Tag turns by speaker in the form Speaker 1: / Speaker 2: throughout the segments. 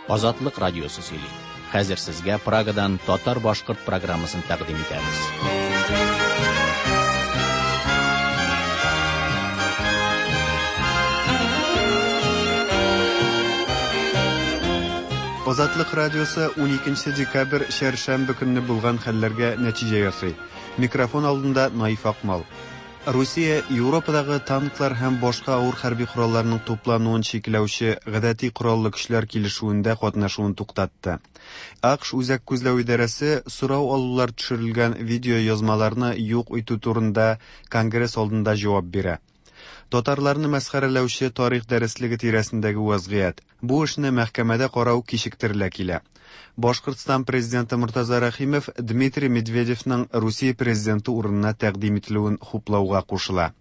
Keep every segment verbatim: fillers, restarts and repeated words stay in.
Speaker 1: Азатлык радиосы сөйли. Хәзер сезгә Прагадан татар-башкорт программасын тәкъдим итәбез.
Speaker 2: Азатлык радиосы уникенче декабрь чәршәмбе көнне булган хәлләргә нәтиҗә ясый. Микрофон алдында Наиф Акмал. Русия Европадагы танклар һәм башка авыр хәрби коралларның туплануын чикләүче гадәти кораллы көчләр килешүендә катнашуын туктатты. АКШ Үзәк күзләү идарәсе сорау алулар төшерелгән видео язмаларны юк итү турында Конгресс алдында җавап бирә. Татарларны мәсхәрәләүче тарих дәреслеге тирәсендәге вазгыять. Бу эшне мәхкәмәдә карау кичектерелә килә. Башкортстан президенты Мортаза Рәхимов Дмитрий Медведевның Русия президенты урынына тәкъдим ителүен хуплауга кушыла.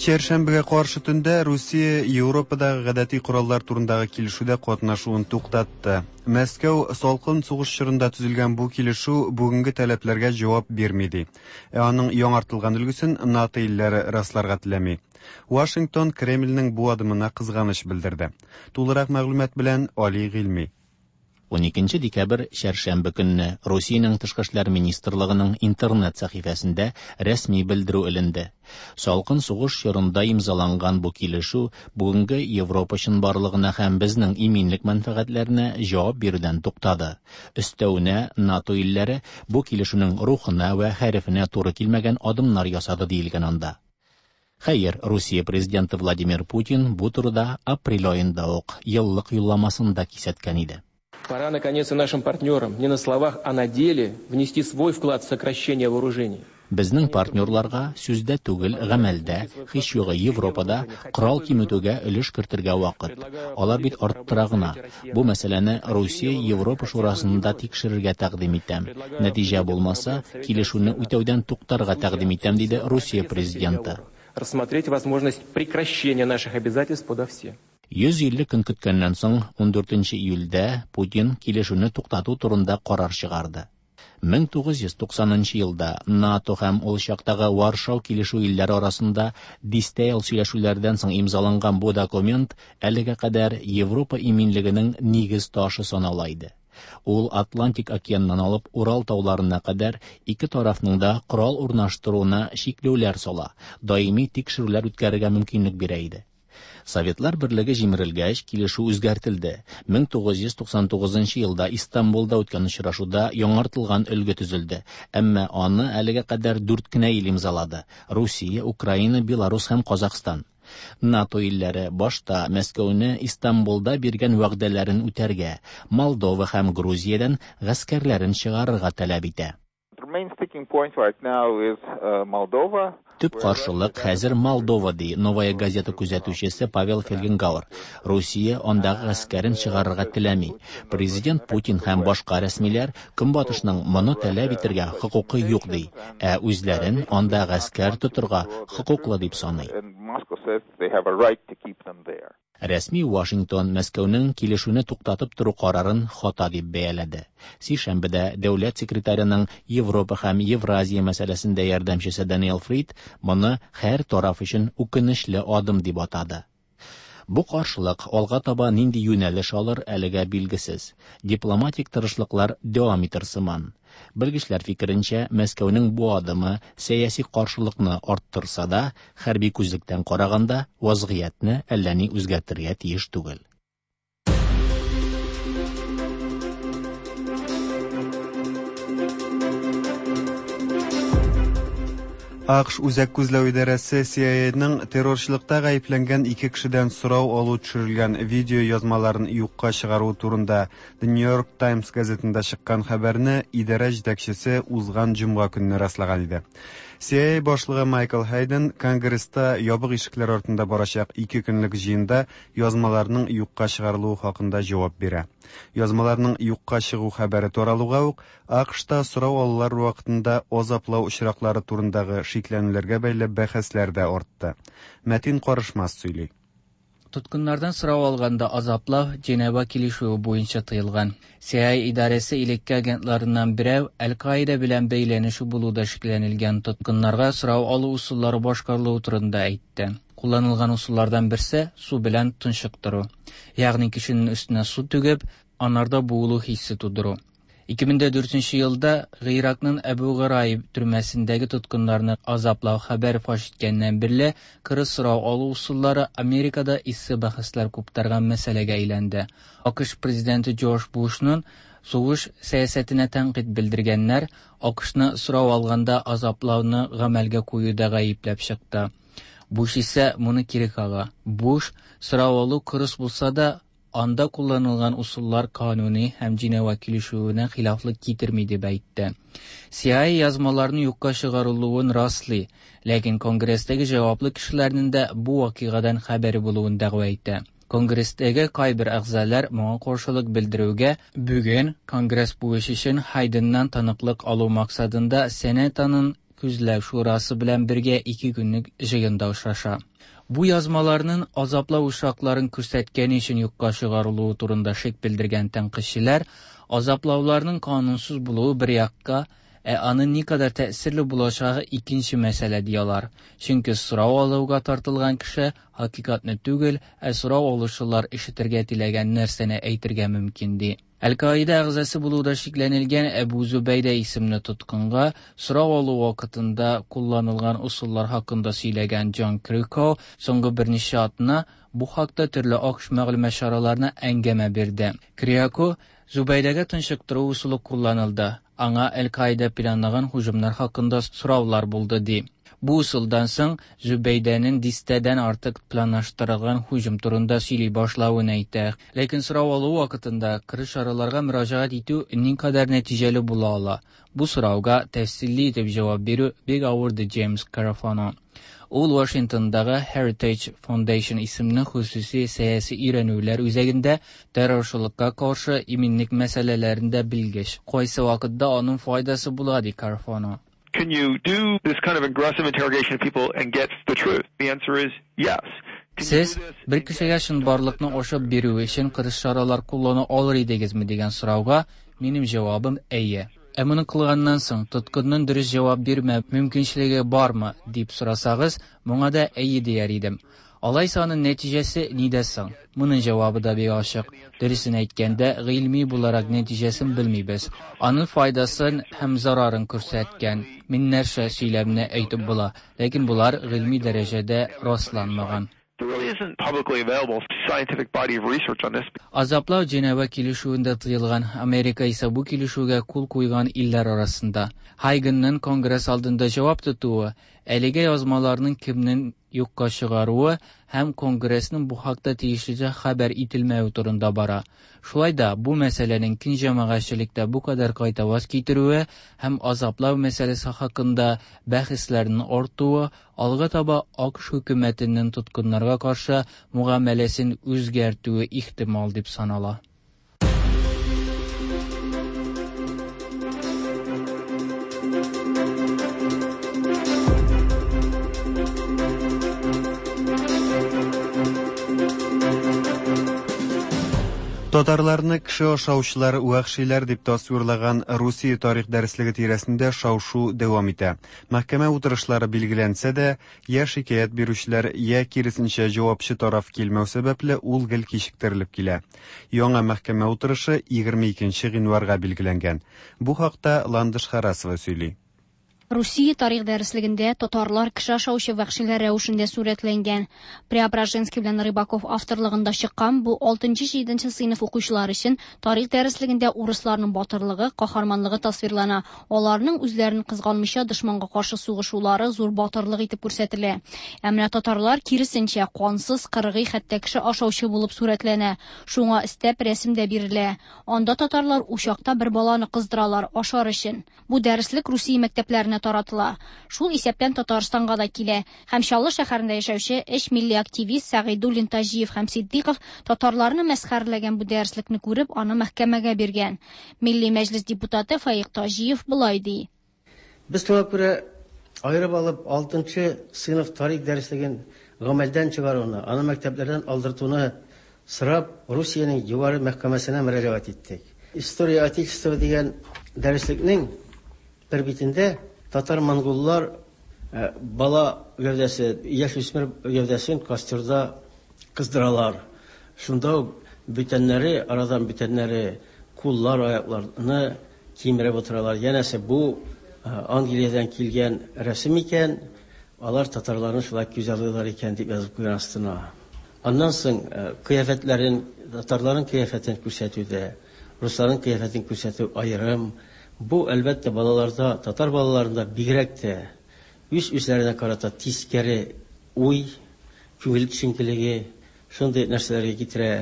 Speaker 2: Чәршәмбегә каршы төндә Русия Европадагы гадәти кораллар турындагы килешүдә катнашуын туктатты. Мәскәү салкын сугыш чорында төзелгән бу килешү бүгенге таләпләргә җавап бирми ди. Ә аның яңартылган өлгесен НАТО илләре расларга теләми. Вашингтон Кремльнең бу адымына кызганыч белдерде. Тулырак мәгълүмат белән Али Гыйльми.
Speaker 1: Уникенче декабрь чәршәмбе көнне Русиянең тышкы эшләр министрлыгының интернет сәхифәсендә рәсми белдерү эленде. Салкын сугыш чорында имзаланган бу килешү бүгенге Европа чынбарлыгына һәм безнең иминлек мәнфәгатьләренә җавап бирүдән туктады. Өстәвенә НАТО илләре бу килешүнең рухына ва хәрефенә туры килмәгән адымнар ясады диелгән анда. Хәер, Русия президенты Владимир Путин бу турыда апрель аенда ук еллык юлламасында кисәткән иде.
Speaker 3: Пора, наконец, и нашим партнерам не на словах, а на деле внести свой вклад в сокращение вооружений.
Speaker 1: Безнең партнерларга сүздә түгел, гамәлдә, һич югы Европада корал киметүгә өлеш кертергә вакыт. Алар бит арттыра гына. Бу мәсьәләне Русия Европа шурасында тикшерергә тәкъдим итәм. Нәтиҗә булмаса, килешүне үтәүдән туктарга тәкъдим итәм, диде Русия президенты.
Speaker 3: Рассмотреть возможность прекращения наших обязательств подо все.
Speaker 1: Йөз илле көн көткәннән соң, ундүртенче июльдә Путин килешүне туктату турында карар чыгарды. Мең тугыз йөз туксанынчы елда НАТО һәм ул чактагы Варшау килешү илләре арасында дистә ел сөйләшүләрдән соң имзаланган бу документ әлегә кадәр Европа иминлегенең нигез ташы санала иде. Ул Атлантик океаннан алып Урал тауларына кадәр ике тарафның да корал урнаштыруына чикләүләр сала, даими тикшерүләр үткәрергә мөмкинлек бирә иде. Советлар берлеге җимерелгәч, килешү үзгәртелде. Мең тугыз йөз туксан тугызынчы елда Истанбулда үткән очрашуда яңартылган өлге төзелде. Әмма аны әлегә кадәр дүрт кенә ил имзалады: Русия, Украина, Беларус һәм Казахстан. НАТО илләре башта Мәскәүне Истанбулда биргән вәгъдәләрен үтәргә, Молдова һәм Грузиядән гаскәрләрен чыгарырга таләп итә.
Speaker 4: The main sticking point right now is, uh, Moldova.
Speaker 1: Төп каршылык хәзер Молдова, ди Новая газета күзәтүчесе Павел Фельгенгауэр. Русия андагы гаскәрен чыгарырга теләми. Президент Путин һәм башка рәсмиләр Көнбатышның моны таләп итәргә хокукы юк ди, ә үзләрен анда гаскәр тотырга хокуклы дип саный. Рәсми Вашингтон Мәскәүнең килешүне туктатып тору карарын хата дип бәяләде. Сишәмбедә дәүләт секретареның Европа һәм Евразия мәсьәләсендә ярдәмчесе Даниэл Фрид моны һәр тараф өчен үкенечле адым дип атады. Бу каршылык алга таба нинди юнәлеш алыр әлегә билгесез. Дипломатик тырышлыклар дәвам итер сыман. Белгечләр фикеренчә, Мәскәүнең бу адымы сәяси каршылыкны арттырса да, хәрби күзлектән караганда вазгыятьне әллә ни үзгәртергә тиеш түгел.
Speaker 2: АКШ Үзәк күзләү идарәсе Си Ай Эй-ның террорчылыкта гаепләнгән ике кешедән сорау алу төшерелгән видео язмаларын юкка чыгару турында The New York Times газетында чыккан хәбәрне идарә җитәкчесе узган җомга көнне раслаган иде. Си Ай Эй башлыгы Майкл Хейден Конгресста ябык ишекләр артында барачак ике көнлек җыенда язмаларның юкка чыгарылуы хакында җавап бирә. Язмаларның юкка чыгу хәбәре таралуга ук АКШта сорау алулар вакытында азаплау очраклары турындагы шикләнүләргә бәйле бәхәсләр дә артты. Мәтин Карышмас сөйли.
Speaker 5: Тоткыннардан сорау алганда азаплау Женева килешүе буенча тыелган. C I A идарәсе элекке агентларыннан берәү Әл-Каида белән бәйләнеше булуда шикләнелгән тоткыннарга сорау алу ысуллары башкарылуы турында әйтте. Кулланылган ысуллардан берсе су белән тончыктыру. Ягъни кешенең өстенә су түгеп, анарда буылу хиссе тудыру. ике мең дүртенче елда Гыйракның Әбу Гырайб төрмәсендәге тоткыннарны азаплау хәбәре фаш иткәннән бирле кырыс сорау алу ысуллары Америкада эссе бәхәсләр куптарган мәсьәләгә әйләнде. АКШ президенты Джордж Бушның сугыш сәясәтенә тәнкыйть белдергәннәр АКШны сорау алганда азаплауны гамәлгә куюда гаепләп чыкты. Буш исә моны кире кага. Буш сорау алу кырыс булса да, анда кулланылган усуллар кануни һәм Женева килешүенә хилафлык китерми дип әйтте. C I A язмаларны юкка чыгарылуын раслый, ләкин Конгресстәге җаваплы кешеләрнең дә бу вакыйгадан хәбәре булуын дәгъва итә. Конгресстәге кайбер әгъзалар моңа каршылык белдерүгә бүген Конгресс бу эш өчен Хайденнан таныклык алу максатында Сенатның күзләү шурасы белән бергә ике көнлек җыенда очраша. Бу язмаларның азаплау очракларын күрсәткән өчен юкка чыгарылуы турында шик белдергән тәнкыйтьчеләр азаплауларның канунсыз булуы бер якка, ә аның никадәр тәэсирле булачагы икенче мәсьәлә диялар. Чөнки сорау алуга тартылган кеше хакыйкатьне түгел, ә сорау алучылар ишетергә теләгән нәрсәне әйтергә мөмкин ди. Әл-Каида әгъзасы булуда шикләнелгән Әбу Зубәйдә исемле тоткынга сорау алу вакытында кулланылган ысуллар хакында сөйләгән Джон Крико соңгы берничә атна бу хакта төрле АКШ мәгълүмат чараларына әңгәмә бирде. Крико Зубәйдәгә тынчыктыру ысулы кулланылды. Аңа Әл-Каида планлаган һөҗүмнәр хакында сораулар булды ди. Бу ысулдан соң Зубәйдәнең дистәдән артык планлаштырылган һөҗүм турында сөйли башлавын әйтә. Ләкин сорау алу вакытында кырыс чараларга мөрәҗәгать итү никадәр нәтиҗәле була ала? Бу сорауга тәфсилле итеп җавап бирү бик авыр ди Джеймс Карафано. Ул Вашингтондагы Heritage Foundation исемле хосуси сәяси өйрәнүләр үзәгендә террорчылыкка каршы иминлек мәсьәләләрендә белгеч. Кайсы вакытта аның файдасы була ди Карафано.
Speaker 6: Can you do this kind of aggressive interrogation of people and get the truth? The answer is yes.
Speaker 5: Сез бер кешегә чынбарлыкны ачып бирү өчен кырыс чаралар куллана алыр идегезме дигән сорауга минем җавабым әйе. Ә моны кылганнан соң тоткынның дөрес җавап бирмә мөмкинчелеге бармы дип сорасагыз, моңа да әйе дияр идем. Алайса аның нәтиҗәсе нидә соң? Моның җавабы да бик ачык. Дөресен әйткәндә, гыйльми буларак нәтиҗәсен белмибез. Аның файдасын һәм зарарын күрсәткән меңнәрчә сөйләмне әйтеп була, ләкин булар гыйльми дәрәҗәдә расланмаган.
Speaker 6: There really isn't publicly available scientific body of research on this.
Speaker 5: Азаплау Женева килешүендә тыелган, Америка исә бу килешүгә кул куйган илләр арасында. Хайгенның Конгресс алдында җавап тотуы, әлеге язмаларның кемнең юкка чыгаруы һәм Конгрессның бу хакта тиешлечә хәбәр ителмәве турында бара. Шулай да бу мәсьәләнең киң җәмәгатьчелектә бу кадәр кайтаваз китерүе һәм азаплау мәсьәләсе хакында бәхәсләрнең артуы алга таба АКШ хөкүмәтенең тоткыннарга каршы мөгамәләсен үзгәртүе ихтимал дип санала.
Speaker 2: Татарларны кеше ашаучылар, вәхшиләр дип тасвирлаган Русия тарих дәреслеге тирәсендә шау-шу дәвам итә. Мәхкәмә утырышлары билгеләнсә дә, я шикаять бирүчеләр, я киресенчә җавапчы тараф килмәү сәбәпле ул гел кичектерелеп килә. Яңа мәхкәмә утырышы егерме икенче гыйнварга билгеләнгән. Бу хакта Ландыш Харасова сөйли.
Speaker 7: Русия тарих дәреслегендә татарлар кеше ашаучы вәхшиләр рәвешендә сурәтләнгән. Преображенский белән Рыбаков авторлыгында чыккан бу алтынчы-җиденче сыйныф укучылары өчен тарих дәреслегендә урысларның батырлыгы, каһарманлыгы тасвирлана. Аларның үзләрен кызганмыйча дошманга каршы сугышулары зур батырлык итеп күрсәтелә. Ә менә татарлар киресенчә кансыз, кыргый, хәтта кеше ашаучы булып сурәтләнә. Шуңа өстәп рәсем дә бирелә. Анда татарлар учакта бер баланы кыздыралар ашар өчен. Бу дәреслек Русия мәктәпләренә таратыла. Шул исәптән Татарстанга да килә. Һәм Чаллы шәһәрендә яшәүче өч милли активист Сәгыйдуллин, Таҗиев һәм Сиддиков татарларны мәсхәрәләгән бу дәреслекне күреп, аны мәхкәмәгә биргән. Милли мәҗлис депутаты Фаик Таҗиев болай ди.
Speaker 8: Без шуңа күрә аерып алып алтынчы сыйныф тарих дәреслеген гамәлдән чыгаруны, аны мәктәпләрдән алдыртуны сорап Русиянең югары мәхкәмәсенә мөрәҗәгать иттек. История Отечества дигән дәреслекнең бер битендә татар-монголлар бала гәүдәсе, яшүсмер гәүдәсен костерда кыздыралар. Шунда ук бүтәннәре, арадан бүтәннәре куллар, аякларны кимереп утыралар. Янәсе бу Англиядән килгән рәсем икән, алар татарларны шулай күзаллыйлар икән дип язып куйган астына. Аннан соң кыяфәтләрен, татарларның кыяфәтен күрсәтүдә, русларның кыяфәтен күрсәтү аерым. Бу әлбәттә балаларда, татар балаларында бигрәк тә үз-үзләренә карата тискәре уй, күңел төшенкелеге, шундый нәрсәләргә китерә.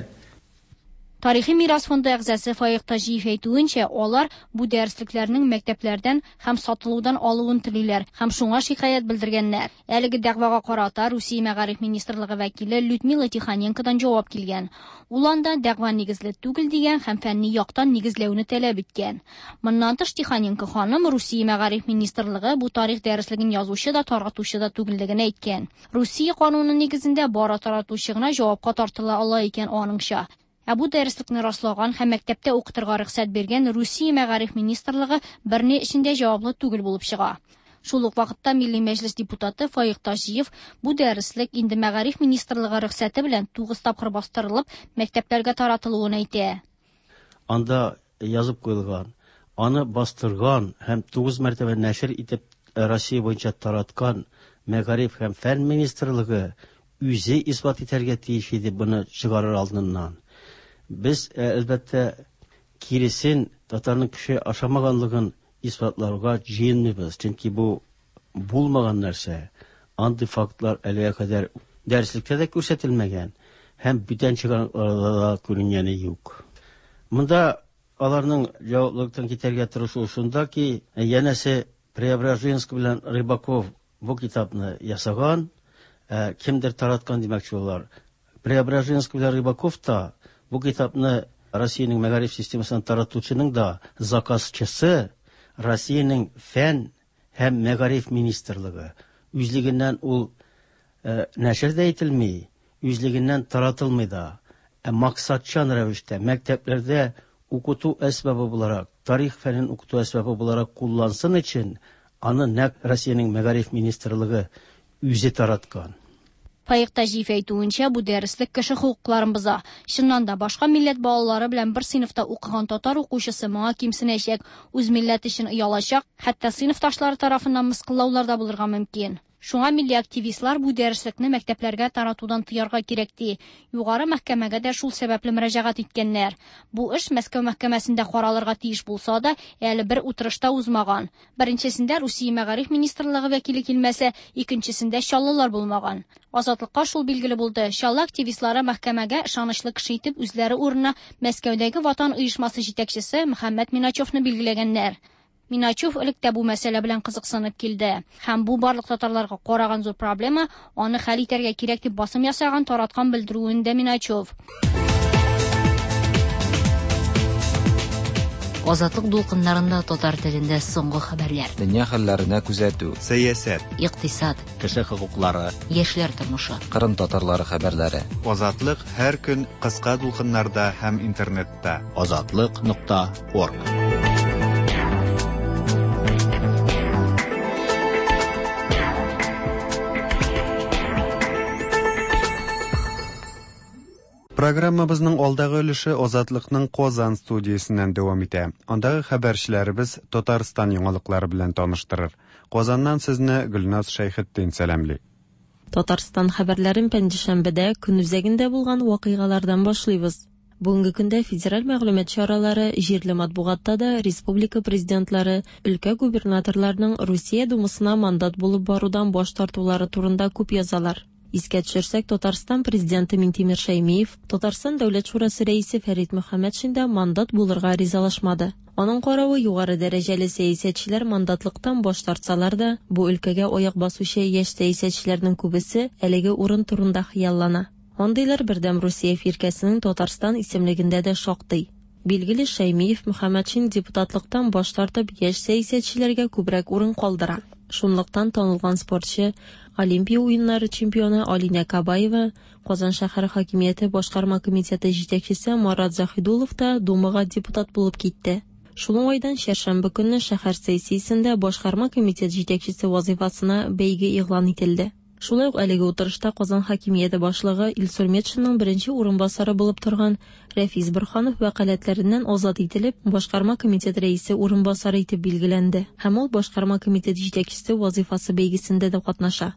Speaker 7: Тарихи мирас фонды әгъзасы Фаик Таҗиев әйтүенчә, алар бу дәреслекләрнең мәктәпләрдән һәм сатылудан алуын телиләр һәм шуңа шикаять белдергәннәр. Әлеге дәгъвага карата Русия мәгариф министрлыгы вәкиле Людмила Тихоненкодан җавап килгән. Ул анда дәгъва нигезле түгел дигән һәм фәнни яктан нигезләүне таләп иткән. Моннан тыш Тихоненко ханым Русия мәгариф министрлыгы бу тарих дәреслеген язучы да, таратучы да түгеллеген әйткән. Русия кануны нигезендә бары таратучы гына җавапка тартыла ала икән аныңча. Ә бу дәреслекне раслаган һәм мәктәптә укытырга рөхсәт биргән Русия мәгариф министрлыгы берни эчендә җаваплы түгел булып чыга. Шул ук вакытта Милли Мәҗлес депутаты Фаик Таҗиев бу дәреслек инде мәгариф министрлыгы рөхсәте белән тугыз тапкыр бастырылып, мәктәпләргә таратылуын әйтә.
Speaker 8: Анда язып куелган, аны бастырган һәм тугыз мәртәбә нәшер итеп Россия буенча тараткан мәгариф һәм фән министрлыгы үзе исбат итәргә тиеш иде моны чыгарыр алдыннан. Без, әлбәттә, киресен татарның кеше ашамаганлыгын исбатларга җыенмыйбыз, чөнки бу булмаган нәрсә. Андый фактлар әлегә кадәр дәреслектә дә күрсәтелмәгән һәм бүтән чыганакларда да күренгәне юк. Монда аларның җаваплылыктан китәргә тырышуы шунда ки, янәсе Преображенский белән Рыбаков бу китапны ясаган, кемдер тараткан димәкче булалар. Преображенский белән Рыбаков та бу китапны Россиянең мәгариф системасын таратучының да заказчысы Россиянең фән һәм мәгариф министрлыгы. Үзлегеннән ул э, нәшер дә ителми, үзлегеннән таратылмый да. Ә максатчан рәвештә мәктәпләрдә укыту әсбабы буларак, тарих фәнен укыту әсбабы буларак куллансын өчен аны нәкъ Россиянең мәгариф министрлыгы үзе тараткан.
Speaker 7: Фаик Таҗиев әйтүенчә, бу дәреслек кеше хокукларын боза. Чыннан да башка милләт балалары белән бер сыйныфта укыган татар укучысы моңа кимсенәчәк, үз милләте өчен оялачак, хәтта сыйныфташлары тарафыннан мыскыллаулар да булырга мөмкин. Шуңа милли активистлар бу дәреслекне мәктәпләргә таратудан тыярга кирәк ди. Югары мәхкәмәгә дә шул сәбәпле мөрәҗәгать иткәннәр. Бу эш Мәскәү мәхкәмәсендә каралырга тиеш булса да, әле бер утырышта узмаган. Беренчесендә Русия мәгариф министрлыгы вәкиле килмәсә, икенчесендә чаллылар булмаган. Азатлыкка шул билгеле булды. Чаллы активистлары мәхкәмәгә ышанычлы кеше итеп үзләре урынына Мәскәүдәге Ватан оешмасы җитәкчесе Мөхәммәт Миначевны билгеләгәннәр. Миначев элек тә бу мәсьәлә белән кызыксынып килде. Һәм бу барлык татарларга караган зур проблема, аны хәл итәргә кирәк дип басым ясаган тараткан белдерүендә Миначев.
Speaker 9: Азатлык дулкыннарында татар телендә соңгы хәбәрләр.
Speaker 10: Дөнья хәлләренә күзәтү.
Speaker 2: Сәясәт.
Speaker 9: Икътисад.
Speaker 1: Кеше хокуклары.
Speaker 9: Яшьләр тормышы.
Speaker 10: Кырым татарлары хәбәрләре.
Speaker 2: Азатлык һәр көн кыска дулкыннарда һәм интернетта.
Speaker 1: Азатлык нокта орг.
Speaker 2: Программабызның алдагы өлеше Азатлыкның Казан студиясеннән дәвам итә. Андагы хәбәрчеләребез Татарстан яңалыклары белән таныштырыр. Казаннан сезне Гөлназ Шәйхетдин сәламли.
Speaker 11: Татарстан хәбәрләрен пәнҗешәмбедә көн үзәгендә булган вакыйгалардан башлыйбыз. Бүгенге көндә федераль мәгълүмат чаралары, җирле матбугатта да республика президентлары, өлкә губернаторларының Русия думасына мандат булып барудан баш тартулары турында күп язалар. Искә төшерсәк, Татарстан президенты Минтимер Шәймиев, Татарстан Дәүләт шурасы рәисе Фәрит Мөхәммәтшин дә мандат булырга ризалашмады. Аның каравы югары дәрәҗәле сәясәтчеләр мандатлыктан баш тартсалар да, бу өлкәгә аяк басучы яшь сәясәтчеләрнең күбесе әлеге урын турында хыяллана. Андыйлар Бердәм Русия фиркәсенең Татарстан исемлегендә дә шактый. Билгеле, Шәймиев Мөхәммәтшин депутатлыктан баш тартып яшь сәясәтчеләргә күбрәк урын калдыра. Шунлыктан танылган спортчы, Олимпия уеннары чемпионы Алинә Кабаева, Казан шәһәре хакимияте башкарма комитеты җитәкчесе Марат Заһидуллов та Думага депутат булып китте. Шул уңайдан чәршәмбе көнне шәһәр сессиясендә башкарма комитет җитәкчесе вазифасына бәйге игълан ителде. Шулай ук әлеге утырышта Казан хакимияте башлыгы Илсур Метшинның беренче урынбасары булып торган Рәфис Борһанов вәкаләтләреннән азат ителеп, башкарма комитет рәисе урынбасары итеп билгеләнде. Һәм ул башкарма комитет җитәкчесе вазифасы бәйгесендә дә катнаша.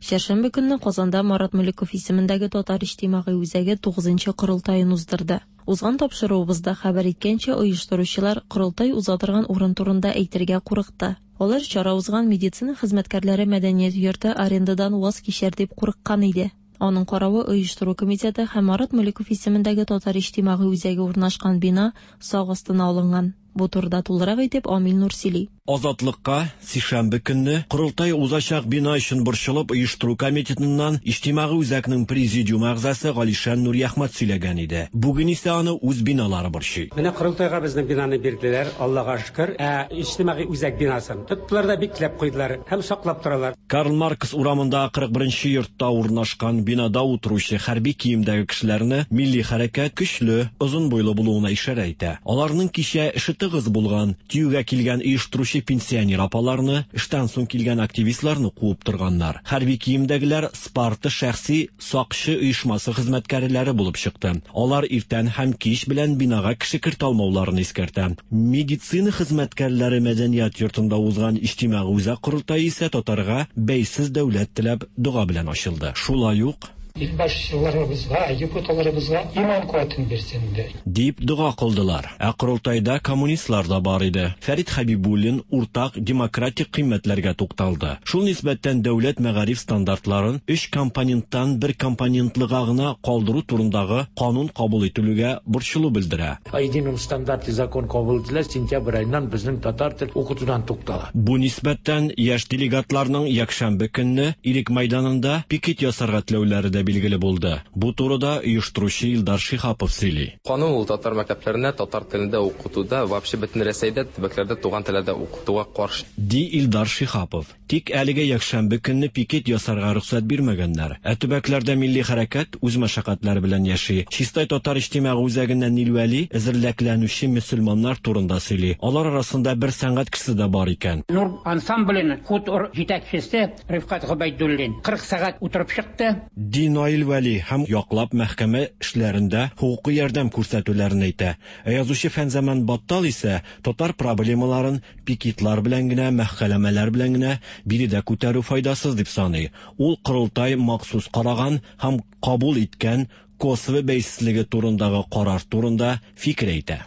Speaker 11: Чәршәмбе көнне Казанда Марат Мөлеков исемендәге Татар иҗтимагый үзәге тугызынчы корылтаен уздырды. Узган тапшыруыбызда хәбәр иткәнчә, оештыручылар корылтай уза торган урын турында әйтергә курыкты. Алар чара узган медицина хезмәткәрләре мәдәният йорты арендадан ваз кичәр дип курыккан иде. Аның каравы оештыру комитеты һәм Марат Мөлеков исемендәге Татар иҗтимагый үзәге урнашкан бина сак астына алынган. Бу турыда тулырак итеп Амил Нур сөйли.
Speaker 12: Азатлыкка сишәмбе көнне корылтай узачак бина өчен борчылып оештыру комитетыннан иҗтимагый үзәкнең президиум әгъзасы Галишан Нурияхмәт сөйләгән иде. Бүген исә аны үз биналары борчый.
Speaker 13: Менә корылтайга безнең бинаны бирделәр, Аллага шөкер. Ә иҗтимагый үзәк бинасын тоттылар да бикләп куйдылар һәм саклап торалар.
Speaker 12: Карл Маркс урамында кырык беренче йортта урнашкан бинада утыручы хәрби киемдәге кешеләрне милли хәрәкәт көчле, озын буйлы булуына ишарә итә. Аларның кичә эше тыгыз булган, тиюгә килгән оештыручы пенсионер апаларны, эштән соң килгән активистларны куып торганнар. Хәрби киемдәгеләр Спарта шәхси сакчы оешмасы хезмәткәрләре булып чыкты. Алар иртән һәм кич белән бинага кеше кертә алмауларын искәртә. Медицина хезмәткәрләре мәдәният йортында узган иҗтимагый үзәк корылтае исә татарга бәйсез дәүләт теләп дога белән ачылды. Шулай ук
Speaker 14: илбашчыларыбызга, депутатларыбызга иман куәтен бирсен
Speaker 12: дип дога кылдылар. Ә корылтайда коммунистлар да бар иде. Фәрит Хәбибуллин уртак демократик кыйммәтләргә тукталды. Шул нисбәттән дәүләт мәгариф стандартларын өч компоненттан бер компонентлыга гына калдыру турындагы канун кабул ителүгә борчылу белдерә.
Speaker 15: О едином стандарте закон кабул ителә, сентябрь аеннан безнең татар тел укытудан туктала.
Speaker 12: Бу нисбәттән яшь делегатларның якшәмбе көнне Ирек мәйданында пикет ясарга теләүләре дә билгеле булды. Бу турыда оештыручы Илдар Шиһапов сөйли.
Speaker 16: Канун ул татар мәктәпләренә татар телендә укытуда, вообще бөтен Рәсәйдә, төбәкләрдә туган телдә укытуга каршы.
Speaker 12: Ди Илдар Шиһапов. Тик әлегә якшәмбе көнне пикет ясарга рөхсәт бирмәгәннәр. Ә төбәкләрдә милли хәрәкәт үз мәшәкатьләре белән яши. Чистай татар иҗтимагый үзәгеннән Нил Вәли әзерләкләнүче мөселманнар турында сөйли. Алар арасында бер сәнгать кешесе дә бар икән.
Speaker 17: Нур ансамбленең хутор җитәкчесе Рифкат Гобәйдуллин кырык сәгать утырып чыкты.
Speaker 12: Ди Наил Вәли һәм яклап мәхкәмә эшләрендә хукуки ярдәм күрсәтүләрен әйтә. Ә язучы Фәнзаман Баттал исә татар проблемаларын пикетлар белән генә, мәхкәмәләр белән генә биредә күтәрү файдасыз дип саный. Ул корылтай махсус караган һәм кабул иткән Косово бәйсезлеге турындагы карар турында фикер әйтә.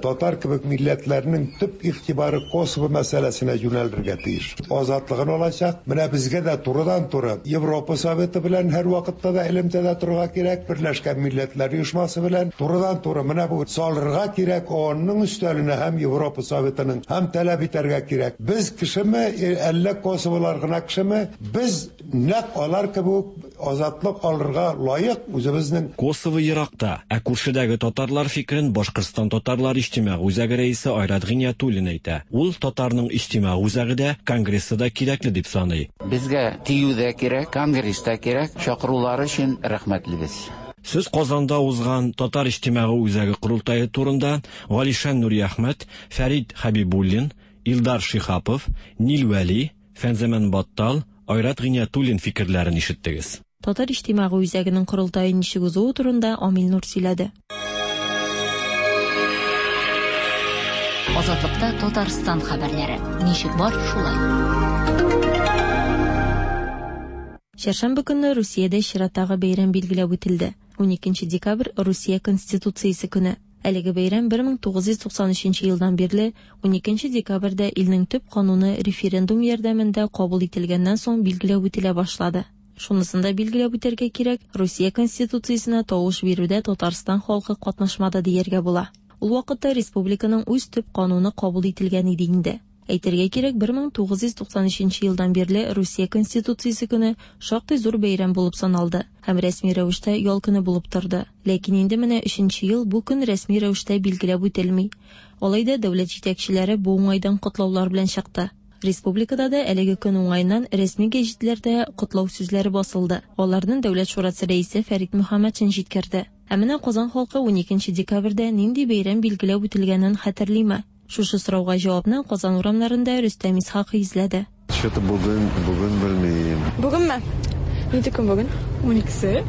Speaker 18: Татар кебек милләтләрнең төп игътибары Косово мәсьәләсенә юнәлергә тиеш. Азатлыгын алачак. Менә безгә дә турыдан-туры Европа Советы белән һәр вакытта да элемтәдә торырга кирәк, Берләшкән Милләтләр Оешмасы белән турыдан-туры менә бу салырга кирәк, ООНның өстәленә һәм Европа Советының һәм таләп итәргә кирәк. Без кешеме, әллә Косоволар гына кешеме, без нәкъ алар кебек азатлык алырга лаек үзебезнең.
Speaker 12: Косово еракта, ә күршедәге татарлар фикерен Башкортстан татарлар иҗтимагый үзәге рәисе Айрат Гыйниятуллин әйтә. Ул татарның иҗтимагый үзәге дә, конгрессы да кирәкле дип саный.
Speaker 19: Безгә тию дә кирәк, конгресс та кирәк. Чакырулары өчен рәхмәтлебез.
Speaker 12: Сүз Казанда узган Татар иҗтимагый үзәге корылтае турында Галишан Нурияхмәт, Фәрит Хәбибуллин, Илдар Шиһапов, Нил Вәли, Фәнзаман Баттал, Айрат Гыйниятуллин фикерләрен ишеттегез.
Speaker 11: Татар иҗтимагый үзәгенең корылтае ничек узуы турында Амил Нур сөйләде.
Speaker 9: Азатлыкта Татарстан хәбәрләре. Ничек бар, шулай.
Speaker 11: Чәршәмбе көнне Русиядә чираттагы бәйрәм билгеләп үтелде. уникенче декабрь Русия Конституциясе көне. Әлеге бәйрәм бер мең тугыз йөз туксан өченче елдан бирле уникенче декабрьдә илнең төп кануны референдум ярдәмендә кабул ителгәннән соң билгеләп үтелә башлады. Шунысын да билгеләп үтәргә кирәк, Русия Конституциясенә тавыш бирүдә Татарстан халкы катнашмады дияргә була. Ул вакытта республиканың үз төп кануны кабул ителгән иде инде. Әйтергә кирәк, бер мең тугыз йөз туксан өченче елдан бирле Русия Конституциясе көне шактый зур бәйрәм булып саналды һәм рәсми рәвештә ял көне булып торды. Ләкин инде менә өченче ел бу көн рәсми рәвештә билгеләп үтелми. Алай да дәүләт җитәкчеләре бу уңайдан котлаулар белән чыкты. Республикада да әлеге көн уңаеннан рәсми гәҗитләрдә котлау сүзләре басылды. Аларны Дәүләт шурасы рәисе Фәрит Мөхәммәтшин җиткерде. Ә менә Казан халкы уникенче декабрьдә нинди бәйрәм билгеләп үтелгәнен хәтерлиме? Шушы сорауга җавапны Казан урамнарында Рөстәм Исхакый эзләде.
Speaker 20: Что-то бүген, бүген белмим.
Speaker 21: Бүгенме? Нинди көн бүген? Уникесе.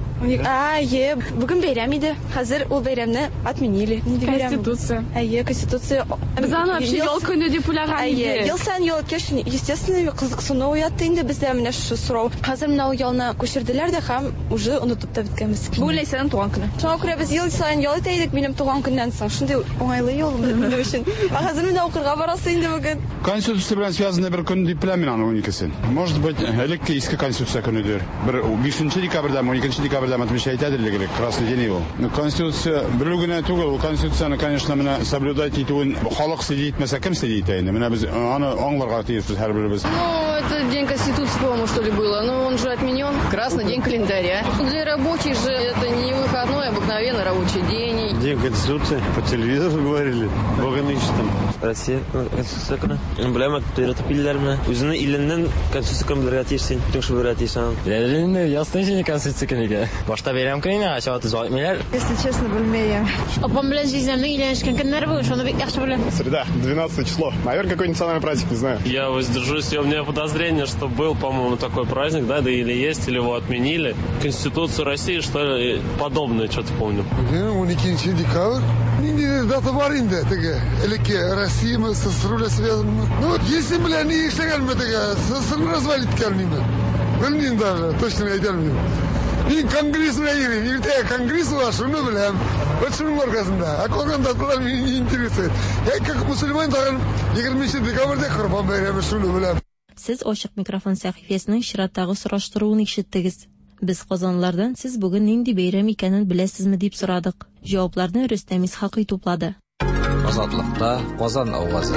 Speaker 21: А, е, бүген бәйрәм иде. Хәзер ул бәйрәмне отменили. Нинди бәйрәм?
Speaker 22: Конституция.
Speaker 21: Әйе, Конституция.
Speaker 22: Без аны вообще ял көне дип уйлаган
Speaker 21: Әйе,
Speaker 22: идек.
Speaker 21: ел саен ял үткәч, естественно, кызыксыну уятты инде бездә менә шушы сорау. Хәзер менә ул ялны күчерделәр дә һәм уже онытып та беткәнбез.
Speaker 22: Бүген Ләйсәннең туган көне.
Speaker 21: Шуңа күрә без ел саен ял итә идек минем туган көннән соң. Шундый уңайлы ял минем өчен. Ә хәзер менә укырга барасы инде бүген.
Speaker 23: Конституция белән связанный бер көн дип беләм мин аны уникесен. Может быть, элекке иске Конституция көнедер. Бер бишенче декабрьдә, уникенче декабрьдә отмечать итәдер элек, красный день ул. Ну, Конституция белү генә түгел, ул Конституцияне, конечно, менә соблюдать итүен халык следить итмәсә, кем следить итә инде? Менә без аны аңларга тиешбез һәрберебез.
Speaker 24: Ну, это день Конституции, по-моему, что ли было, но он же отменен. Красный день календаря. Для рабочих же это не выходной, обыкновенный рабочий день.
Speaker 20: День Конституции по телевизору говорили, Бога нынче там.
Speaker 25: Россия Конституция көне. Беләм, өйрәтеп килделәрме? Үзеңне иленнән Конституция көне белергә тиешсең, бөтен кеше белергә тиеш аны.
Speaker 26: Беләләрме, ясный җине Конституция көне икән. Башта бәйрәм көне, ә чабата җайтмыйлар.
Speaker 27: Если честно, белмәйм.
Speaker 28: Апам белән җизнәмнең өйләнешкән көннәре бүген, шуны бик яхшы беләм.
Speaker 29: Среда, двенадцатое число. Наверное, какой-нибудь национальный праздник, не знаю.
Speaker 30: Я воздержусь, у меня подозрение, что был, по-моему, такой праздник, да, да или есть, или его отменили. Конституцию России, что ли, подобное, что-то помню.
Speaker 31: Уникенче декабрь. Нинди дата бар инде теге элекке Россия СССР белән связан. Ну, если белән ни эшләгәнме теге СССР развалить иткәнме? Белмим даже, точно әйтә алмыйм. Мин конгресс белән йөрим. Иртәгә конгресс бар, шуны беләм. Вот шуның аркасында. Ә калган даталар мине не интересует. Я как мусульман тагын егерменче декабрьдә Корбан бәйрәме, шуны беләм.
Speaker 11: Сез ачык микрофон сәхифәсенең чираттагы сораштыруын ишеттегез. Без Казанлардан сез бүген нинди бәйрәм икәнен беләсезме дип сорадык. Җавапларны Рөстәм Исхакый туплады.
Speaker 10: Азатлыкта Казан авазы.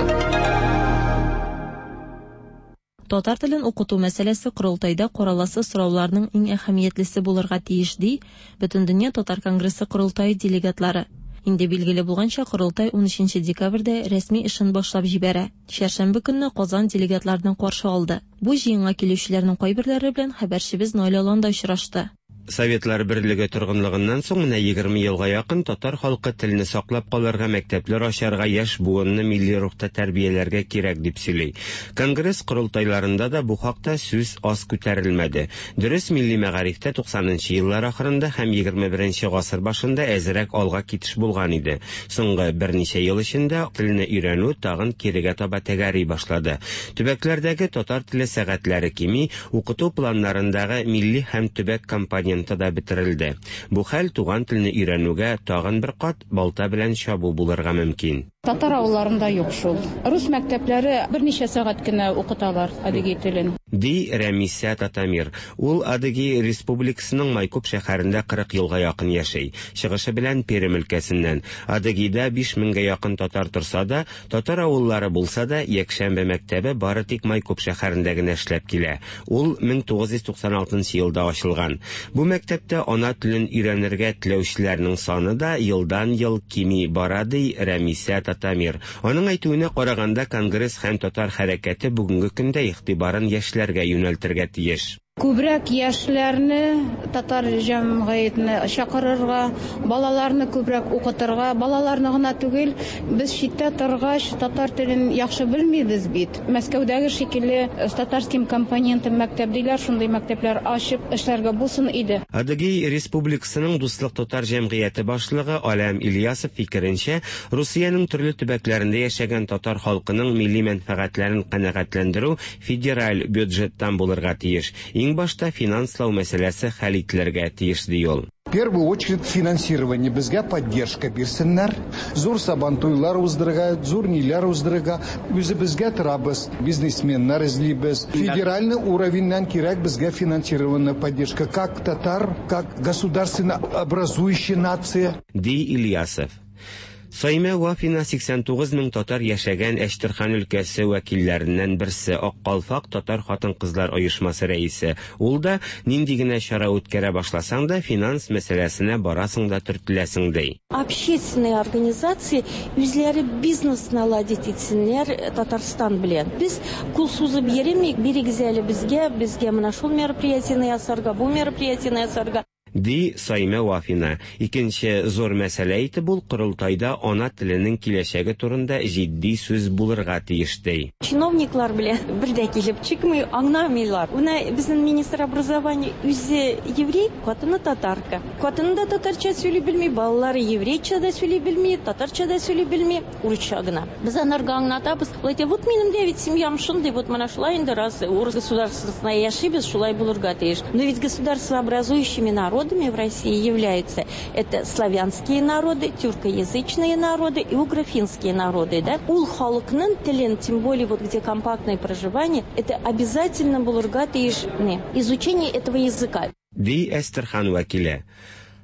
Speaker 11: Татар телен укыту мәсьәләсе корылтайда караласы сорауларның иң әһәмиятлесе булырга тиеш, ди Бөтендөнья Татар конгрессы корылтае делегатлары. Инде билгеле булганча, корылтай унөченче декабрьдә рәсми эшен башлап җибәрә. Чәршәмбе көнне Казан делегатларны каршы алды. Бу җыенга килүчеләрнең кайберләре белән хәбәрчебез Наилә Аланда очрашты.
Speaker 32: Советлар берлеге торгынлыгыннан соң менә егерме елга якын татар халкы телне саклап калырга, мәктәпләр ачарга, яшь буынны милли рухта тәрбияләргә кирәк дип сөйли. Конгресс корылтайларында да бу хакта сүз аз күтәрелмәде. Дөрес, милли мәгарифтә туксанынчы еллар ахырында һәм егерме беренче гасыр башында әзрәк алга китеш булган иде. Соңгы берничә ел эчендә телне өйрәнү тагын кирегә таба тәгәри башлады. Төбәкләрдәге татар теле сәгатьләре кими, укыту планнарындагы милли һәм төбәк компоненты да бетерелде. Бу хәл туган телне өйрәнүгә тагын бер кат балта белән чабу булырга мөмкин.
Speaker 33: Татар авылларында юк шул. Рус мәктәпләре берничә сәгать кенә укыталар адыгей телен.
Speaker 32: Ди Рәмисә Татамир. Ул Адыгей Республикасының Майкоп шәһәрендә кырык елга якын яшәй. Чыгышы белән Пермь өлкәсеннән. Адыгейда биш меңгә якын татар торса да, татар авыллары булса да, якшәмбе мәктәбе бары тик Майкоп шәһәрендә генә эшләп килә. Ул мең тугыз йөз туксан алтынчы елда ачылган. Бу мәктәптә ана телен өйрәнергә теләүчеләрнең саны да елдан-ел кими бара, ди Рәмисә Татамир. Аның әйтүенә караганда, конгресс һәм татар хәрәкәте бүгенге көндә игътибарын яшьләргә юнәлтергә тиеш.
Speaker 33: Күбрәк яшьләрне татар җәмгыятенә чакырырга, балаларны күбрәк укытырга, балаларны гына түгел, без читтә торгач татар телен яхшы белмибез бит. Мәскәүдәге шикелле с татарским компонентом мәктәп диләр, шундый мәктәпләр ачып эшләргә булсын иде.
Speaker 32: Адыгей Республикасының Дуслык татар җәмгыяте башлыгы Алям Ильясов фикеренчә, Русиянең төрле төбәкләрендә яшәгән татар халкының милли мәнфәгатьләрен канәгатьләндерү федераль бюджеттан булырга тиеш. Иң башта финанслау мәсьәләсе хәл ителергә тиеш, ди ул.
Speaker 34: В первую очередь финансирование, безгә поддержка бирсеннәр. Зур сабантуйлар уздырырга, зур ниләр уздырырга, үзебезгә торабыз, бизнесменнар эзлибез. Федеральный уровеньнән кирәк безгә финансированная поддержка, как татар, как государственно образующая нация.
Speaker 32: Ди Ильясов. Саимә Вафина сиксән тугыз мең татар яшәгән Әчтерхан өлкәсе вәкилләреннән берсе, Ак калфак татар хатын-кызлар оешмасы рәисе. Ул да нинди генә чара үткәрә башласаң да, финанс мәсьәләсенә барасың да төртеләсең, ди.
Speaker 1: Общественные организации үзләре бизнес наладить итсеннәр Татарстан белән. Без кул сузып йөремик, бирегез әле безгә, безгә менә шул мероприятиене ясарга, бу мероприятиене ясарга.
Speaker 32: Ди Саимә Вафина. Икенче зур мәсьәлә итеп ул корылтайда ана теленең киләчәге турында җитди сүз булырга тиеш, ди.
Speaker 1: Чиновниклар белән бер дә килеп чыкмый, аңламыйлар. Менә безнең министр образования үзе еврей, хатыны татарка. Хатыны да татарча сөйли белми, балалары еврейча да сөйли белми, татарча да сөйли белми, урысча гына. Без анарга аңлатабыз. Ул әйтә, вот минем дә бит семьям шундый, вот менә шулай инде раз урыс государствосында яшибез, шулай булырга тиеш. Но ведь государствообразующими народами в России являются это славянские народы, тюркоязычные народы и угрофинские народы, да? Ул халыкның телен, тем более вот где компактное проживание, это обязательно булырга тиеш изучение этого языка.
Speaker 32: Ди Әстерхан вәкиле.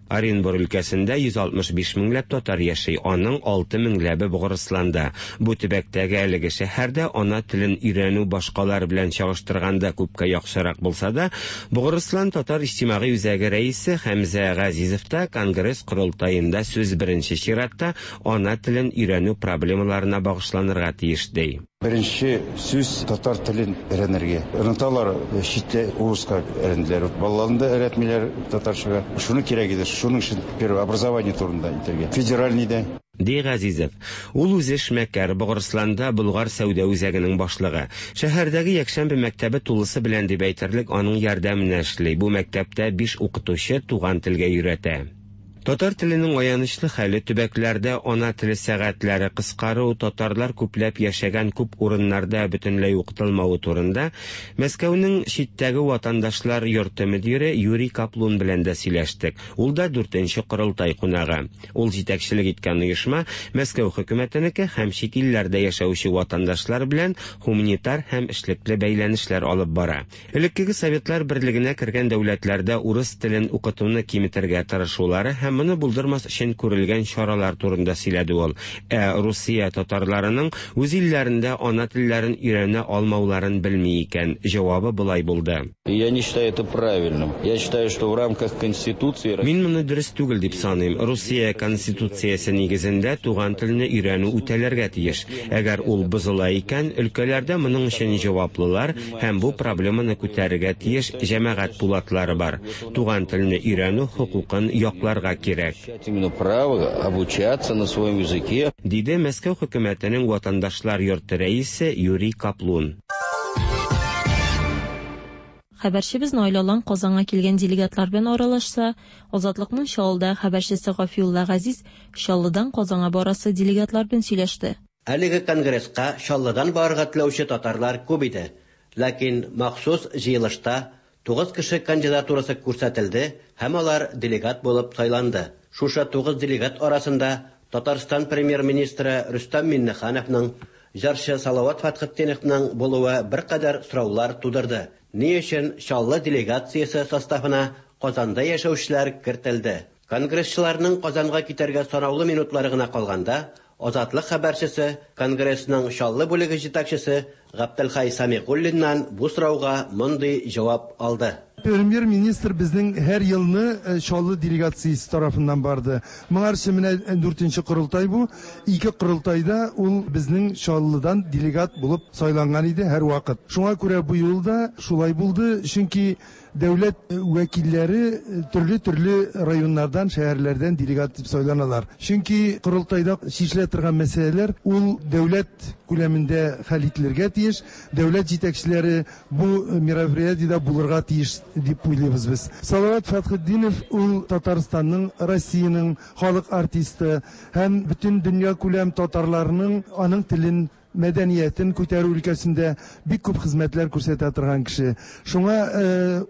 Speaker 32: Оренбур өлкәсендә йөз алтмыш биш меңләп татар яши, аның алты меңләбе Богырысланда. Бу төбәктәге әлеге шәһәрдә ана телен өйрәнү башкалар белән чагыштырганда күпкә яхшырак булса да, Богырыслан татар иҗтимагый үзәге рәисе Хәмзә Газизов та конгресс корылтаенда сүз беренче чиратта ана телен өйрәнү проблемаларына багышланырга тиеш, ди.
Speaker 2: Беренче сүз татар телен өйрәнергә. Оныталар, читтә урыска өйрәнделәр. Балаларны да өйрәтмиләр татарчага. Шуны кирәк иде. Шуның өчен первое образование турында әйтергә. Федеральный да.
Speaker 32: Ди Газизов. Ул үзе эшмәкәр, Богырысланда Болгар сәүдә үзәгенең башлыгы. Шәһәрдәге якшәмбе мәктәбе тулысы белән дип әйтерлек аның ярдәменә эшли. Бу мәктәптә биш укытучы туган телгә өйрәтә. Татар теленең аянычлы хәле, төбәкләрдә ана теле сәгатьләре кыскару, татарлар күпләп яшәгән күп урыннарда бөтенләй укытылмавы турында Мәскәүнең читтәге ватандашлар йорты мөдире Юрий Каплун белән дә сөйләштек. Ул да дүртенче корылтай кунагы. Ул җитәкчелек иткән оешма Мәскәү хөкүмәтенеке һәм чит илләрдә яшәүче ватандашлар белән гуманитар һәм эшлекле бәйләнешләр алып бара. Элеккеге Советлар берлегенә кергән дәүләтләрдә урыс телен укытуны киметергә тырышулары һәм моны булдырмас өчен күрелгән чаралар турында сөйләде ул. Ә Русия татарларының үз илләрендә ана телләрен өйрәнә алмауларын белми икән. Җавабы болай булды.
Speaker 3: Я не считаю это правильным. Я считаю, что в рамках Конституции
Speaker 32: Мин моны дөрес түгел дип саныйм. Русия Конституциясе нигезендә туган телне өйрәнү үтәләргә тиеш. Әгәр ул бозыла икән, өлкәләрдә моның өчен җаваплылар һәм бу проблеманы күтәрергә тиеш җәмәгать пулатлары бар. Туган телне өйрәнү хокукын якларга кирәк.
Speaker 3: Именно право обучаться на своем языке.
Speaker 32: Диде Мәскәү хөкүмәтенең ватандашлар йорты рәисе Юрий Каплун.
Speaker 11: Хәбәрчебез Наил Алан Казанга килгән делегатлар белән аралашса, Азатлыкның Чаллыда хәбәрчесе Гафиулла Газиз Чаллыдан Казанга барасы делегатлар белән сөйләште.
Speaker 4: Әлеге конгресска Чаллыдан барырга теләүче татарлар күп иде. Ләкин махсус җыелышта тугыз кеше кандидатурасы күрсәтелде һәм алар делегат булып сайланды. Шушы тугыз делегат арасында Татарстан премьер-министры Рөстәм Миңнехановның, җырчы Салават Фәтхетдиновның булуы беркадәр сораулар тудырды. Ни өчен Чаллы делегациясе составына Казанда яшәүчеләр кертелде? Конгрессчыларның Казанга китәргә санаулы минутлары гына калганда, Азатлык хәбәрчесе, Конгрессның Чаллы бүлеге җитәкчесе Габделхай Самигуллиннан бу сорауга мондый җавап алды.
Speaker 5: Премьер-министр безнең һәр елны Чаллы делегациясе тарафыннан барды. Моңарчы менә дүртенче корылтай бу. Ике корылтайда ул безнең Чаллыдан делегат булып сайланган иде һәр вакыт. Шуңа күрә бу юлда шулай булды, чөнки дәүләт вәкилләре төрле-төрле районнардан, шәһәрләрдән делегат дип сайланалар. Чөнки корылтайда чишелә торган мәсьәләләр ул дәүләт күләмендә хәл ителергә тиеш. Дәүләт җитәкчеләре бу мероприятиедә булырга тиеш дип уйлыйбыз без. Салават Фәтхетдинов ул Татарстанның, Россиянең халык артисты һәм бөтен дөнья күләм татарларының аның телен, мәдәниятен күтәрү өлкәсендә бик күп хезмәтләр күрсәтә торган кеше. Шуңа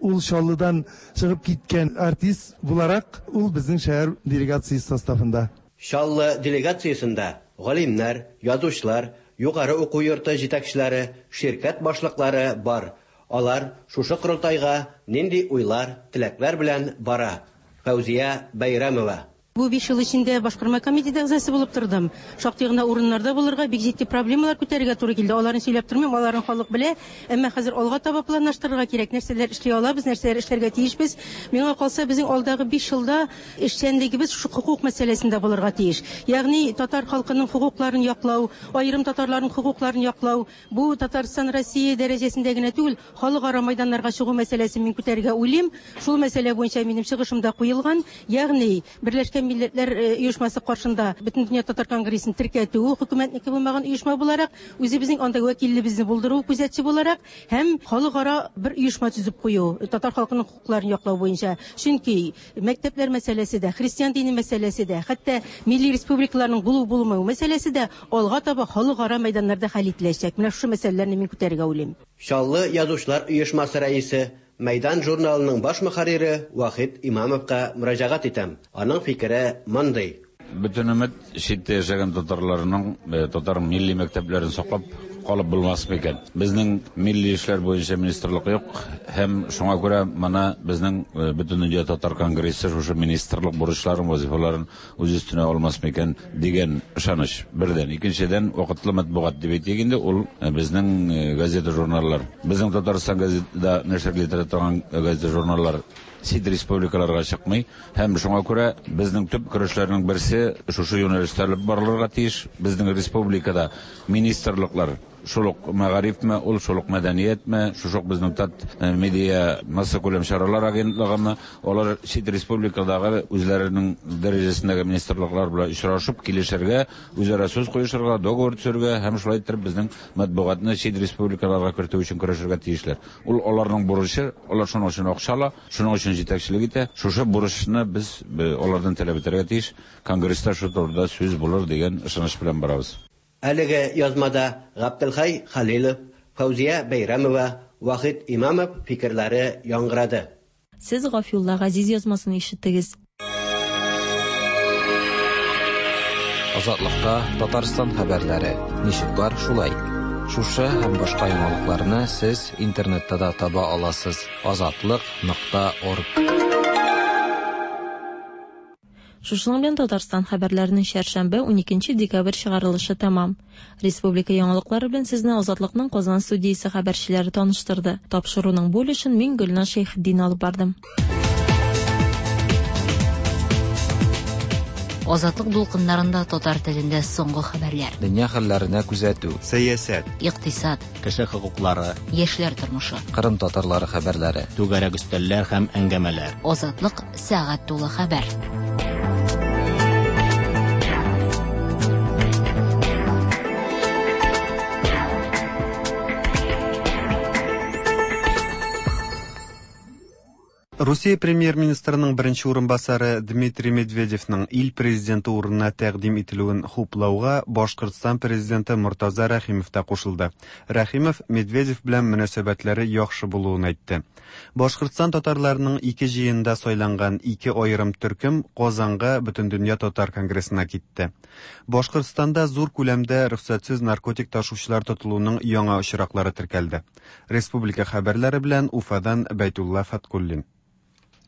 Speaker 5: ул Чаллыдан чыгып киткән артист буларак ул безнең шәһәр делегациясе составында.
Speaker 4: Чаллы делегациясендә галимнәр, язучылар, югары уку йорты җитәкчеләре, ширкәт башлыклары бар. Алар шушы корылтайга нинди уйлар, теләкләр белән бара? Фәүзия Бәйрәмова.
Speaker 1: Бу биш ел эчендә башкарма комитеты әгъзасы булып тордым. Шактый гына урыннарда булырга, бик җитди проблемалар күтәрергә туры килде. Аларын сөйләп тормыйм, аларын халык белә. Әмма хәзер алга таба планлаштырырга кирәк, нәрсәләр эшли алабыз, нәрсәләр эшләргә тиешбез. Миңа калса, безнең алдагы биш елда эшчәнлегебез шул хокук мәсьәләсендә булырга тиеш. Ягъни татар халкының хокукларын яклау, аерым татарларның хокукларын яклау, бу Татарстан Россия дәрәҗәсендә генә түгел, халыкара майданнарга чыгу мәсьәләсен мин күтәрергә уйлыйм. Шул мәсьәлә буенча минем чыгышымда куелган, ягъни Берләшкән Милләтләр Оешмасы каршында Бөтендөнья татар конгрессын теркәтү, хөкүмәтнеке булмаган оешма буларак, үзебезнең анда вәкиллебезне булдыру, күзәтче буларак һәм халыкара бер оешма төзеп кую, татар халкының хокукларын яклау буенча. Чөнки мәктәпләр мәсьәләсе дә, христиан дине мәсьәләсе дә, хәтта милли республикаларның булу-булмау мәсьәләсе дә алга таба халыкара мәйданнарда хәл ителәчәк. Менә шушы мәсьәләләрне мин күтәрергә уйлыйм.
Speaker 4: Чаллы язучылар оешмасы рәисе, Мәйдан журналының баш мөхәррире Вахит Имамовка мөрәҗәгать итәм. Аның фикере мондый.
Speaker 6: Бөтен өмет читтә яшәгән татарларның татар милли мәктәпләрен саклап калып булмас микән? Безнең милли эшләр буенча министрлык юк, һәм шуңа күрә моны безнең Бөтендөнья татар конгрессы шушы министрлык бурычларын, вазифаларын үз өстенә алмас микән дигән ышаныч. Бердән, икенчедән, вакытлы матбугат дип әйтик инде, ул безнең газета-журналлар. Безнең Татарстан газетада нәшер ителә торган газета-журналлар чит республикаларга чыкмый, һәм шуңа күрә безнең төп көрәшләрнең берсе шушы юнәлештә алып барылырга тиеш. Безнең республикада министрлыклар шул ук мәгарифме, ул шул ук мәдәниятме, шул ук безнең тат медиа массакүләм чаралар агентлыгымы, алар чит республикадагы үзләренең дәрәҗәсендәге министрлыклар белән очрашып килешергә, үзара сүз куешырга, договор төзергә һәм шулай итеп безнең матбугатны чит республикаларга кертү өчен көрәшергә тиешләр. Ул аларның бурычы, алар шуның өчен акча ала, шуның өчен җитәкчелек итә. Шушы бурычны без алардан таләп итәргә тиеш. Конгресста шу турыда сүз булыр дигән ышаныч белән барабыз.
Speaker 4: Әлеге язмада Габделхай Халилов, Фәүзия Бәйрәмова, Вахит Имамов фикерләре яңгырады.
Speaker 11: Сез Гафиулла Газиз язмасын ишеттегез.
Speaker 10: Азатлыкта Татарстан хәбәрләре. Ничек бар шулай. Шушы һәм башка яңалыкларны сез интернетта да таба аласыз. азатлык нокта орг.
Speaker 11: Шушының белән Татарстан хәбәрләренең чәршәмбе уникенче декабрь чыгарылышы тәмам. Республика яңалыклары белән сезне Азатлыкның Казан студиясе хәбәрчеләре таныштырды. Тапшыруның бу өлешен мин Гөлназ Шәйхетдин алып бардым.
Speaker 7: Азатлык дулкыннарында татар телендә соңгы хәбәрләр.
Speaker 10: Дөнья хәлләренә күзәтү,
Speaker 8: сәясәт,
Speaker 7: икътисад,
Speaker 9: кеше хокуклары,
Speaker 7: яшьләр тормышы,
Speaker 10: Кырым татарлары хәбәрләре,
Speaker 9: түгәрәк өстәлләр һәм әңгәмәләр.
Speaker 7: Азатлык сәгать тулы хәбәр.
Speaker 12: Русия премьер-министрының беренче урынбасары Дмитрий Медведевның ил президенты урынына тәкъдим ителүен хуплауга Башкортстан президенты Мортаза Рәхимов та кушылды. Рәхимов Медведев белән мөнәсәбәтләре яхшы булуын әйтте. Башкортстан татарларының ике җыенында сайланган ике аерым төркем Казанга Бөтендөнья татар конгрессына китте. Башкортстанда зур күләмдә рөхсәтсез наркотик ташучылар тотылуның яңа очраклары теркәлде. Республика хәбәрләре белән Уфадан Бәйтулла Фаткуллин.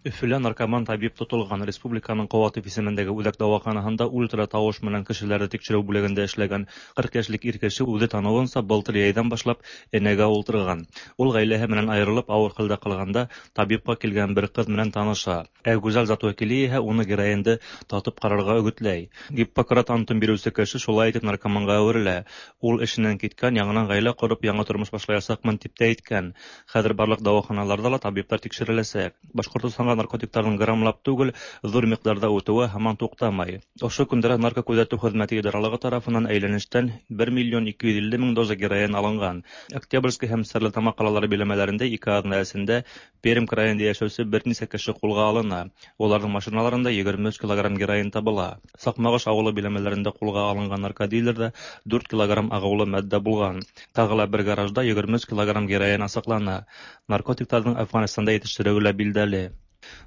Speaker 13: Өфөлә наркоман табиб тотылган. Республиканың Каватов исемендәге үзәк дәваханасында ультра тавыш менән кешеләрне тикшерү бүлегендә эшләгән кырык яшьлек ир кеше үзе тануынча былтыр йәйдән башлап энәгә ултырган. Ул гаиләһе менән аерылып авыр хәлдә калганда табибка килгән бер кыз менән таныша. Ә гүзәл зат вәкиле иһә уны героинды татып карарга өгетләй. Гиппократ антын бирүче кеше шулай итеп наркоманга әверелә. Ул эшеннән киткән, яңадан гаилә корып, яңа тормыш башлаячакмын дип тә әйткән. Хәзер барлык дәваханаларда ла табиблар тикшереләчәк. Башкортстанга наркотикларның граммлап түгел, зур микъдарда үтүе һаман туктамай. Ошо көндә наркокүзәтү хезмәте идаралыгы тарафыннан әйләнештән бер миллион ике йөз илле мең доза героин алынган. Октябрьский һәм Стәрлетамак калалары биләмәләрендә ике аҙна эсендә Пермь краенда яшәүсе бер нисә кеше кулга алына. Уларның машиналарында егерме өс килограмм героин табыла. Сакмагыш авылы биләмәләрендә кулга алынган наркодилерда дүрт килограмм агулы матдә булган. Тагы ла бер гаражда егерме өс килограмм героин асыклана. Наркотикларның Әфганстанда җитештерелүе билдәле.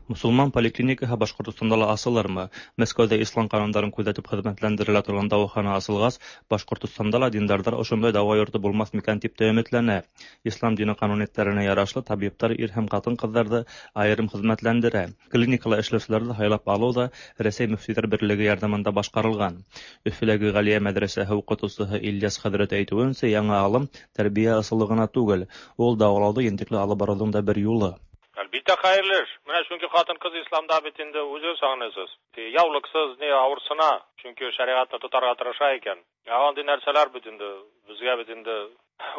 Speaker 13: Мосолман поликлиникаһы Башҡортостанда ла асылырмы? Мәскәүҙә ислам ҡанундарын күҙәтеп хеҙмәтләндерелә торған дауахана асылғас, Башҡортостанда ла диндарҙар ошондай дауа йорто булмаҫ микән тип тә өмөтләнә. Ислам дине ҡануниәттәренә ярашлы табиптар ир һәм ҡатын-ҡыҙҙарҙы айырым хеҙмәтләндерә. Клиникала эшләүселәрҙе һайлап алыу ҙа Рәсәй мөфтөйҙәр берлеге ярҙамында башҡарылған. Өфөләге Ғәлиә мәҙрәсәһе уҡытыусыһы Ильяс хәҙрәт әйтеүенсә, яңы алым тәрбиә ысулы ғына түгел, ул дауалауҙы ентекле алып барыуҙың да бер юлы.
Speaker 8: Әлбиттә хәйерле эш. Менә чөнки ҡатын-ҡыҙ исламда бит инде үҙегеҙ аңлайһыз. Яулыҡсыз ни ауырсына, чөнки шәриғәтне тотарға тырыша икән. Ә андый нәрсәләр бит инде безгә бит инде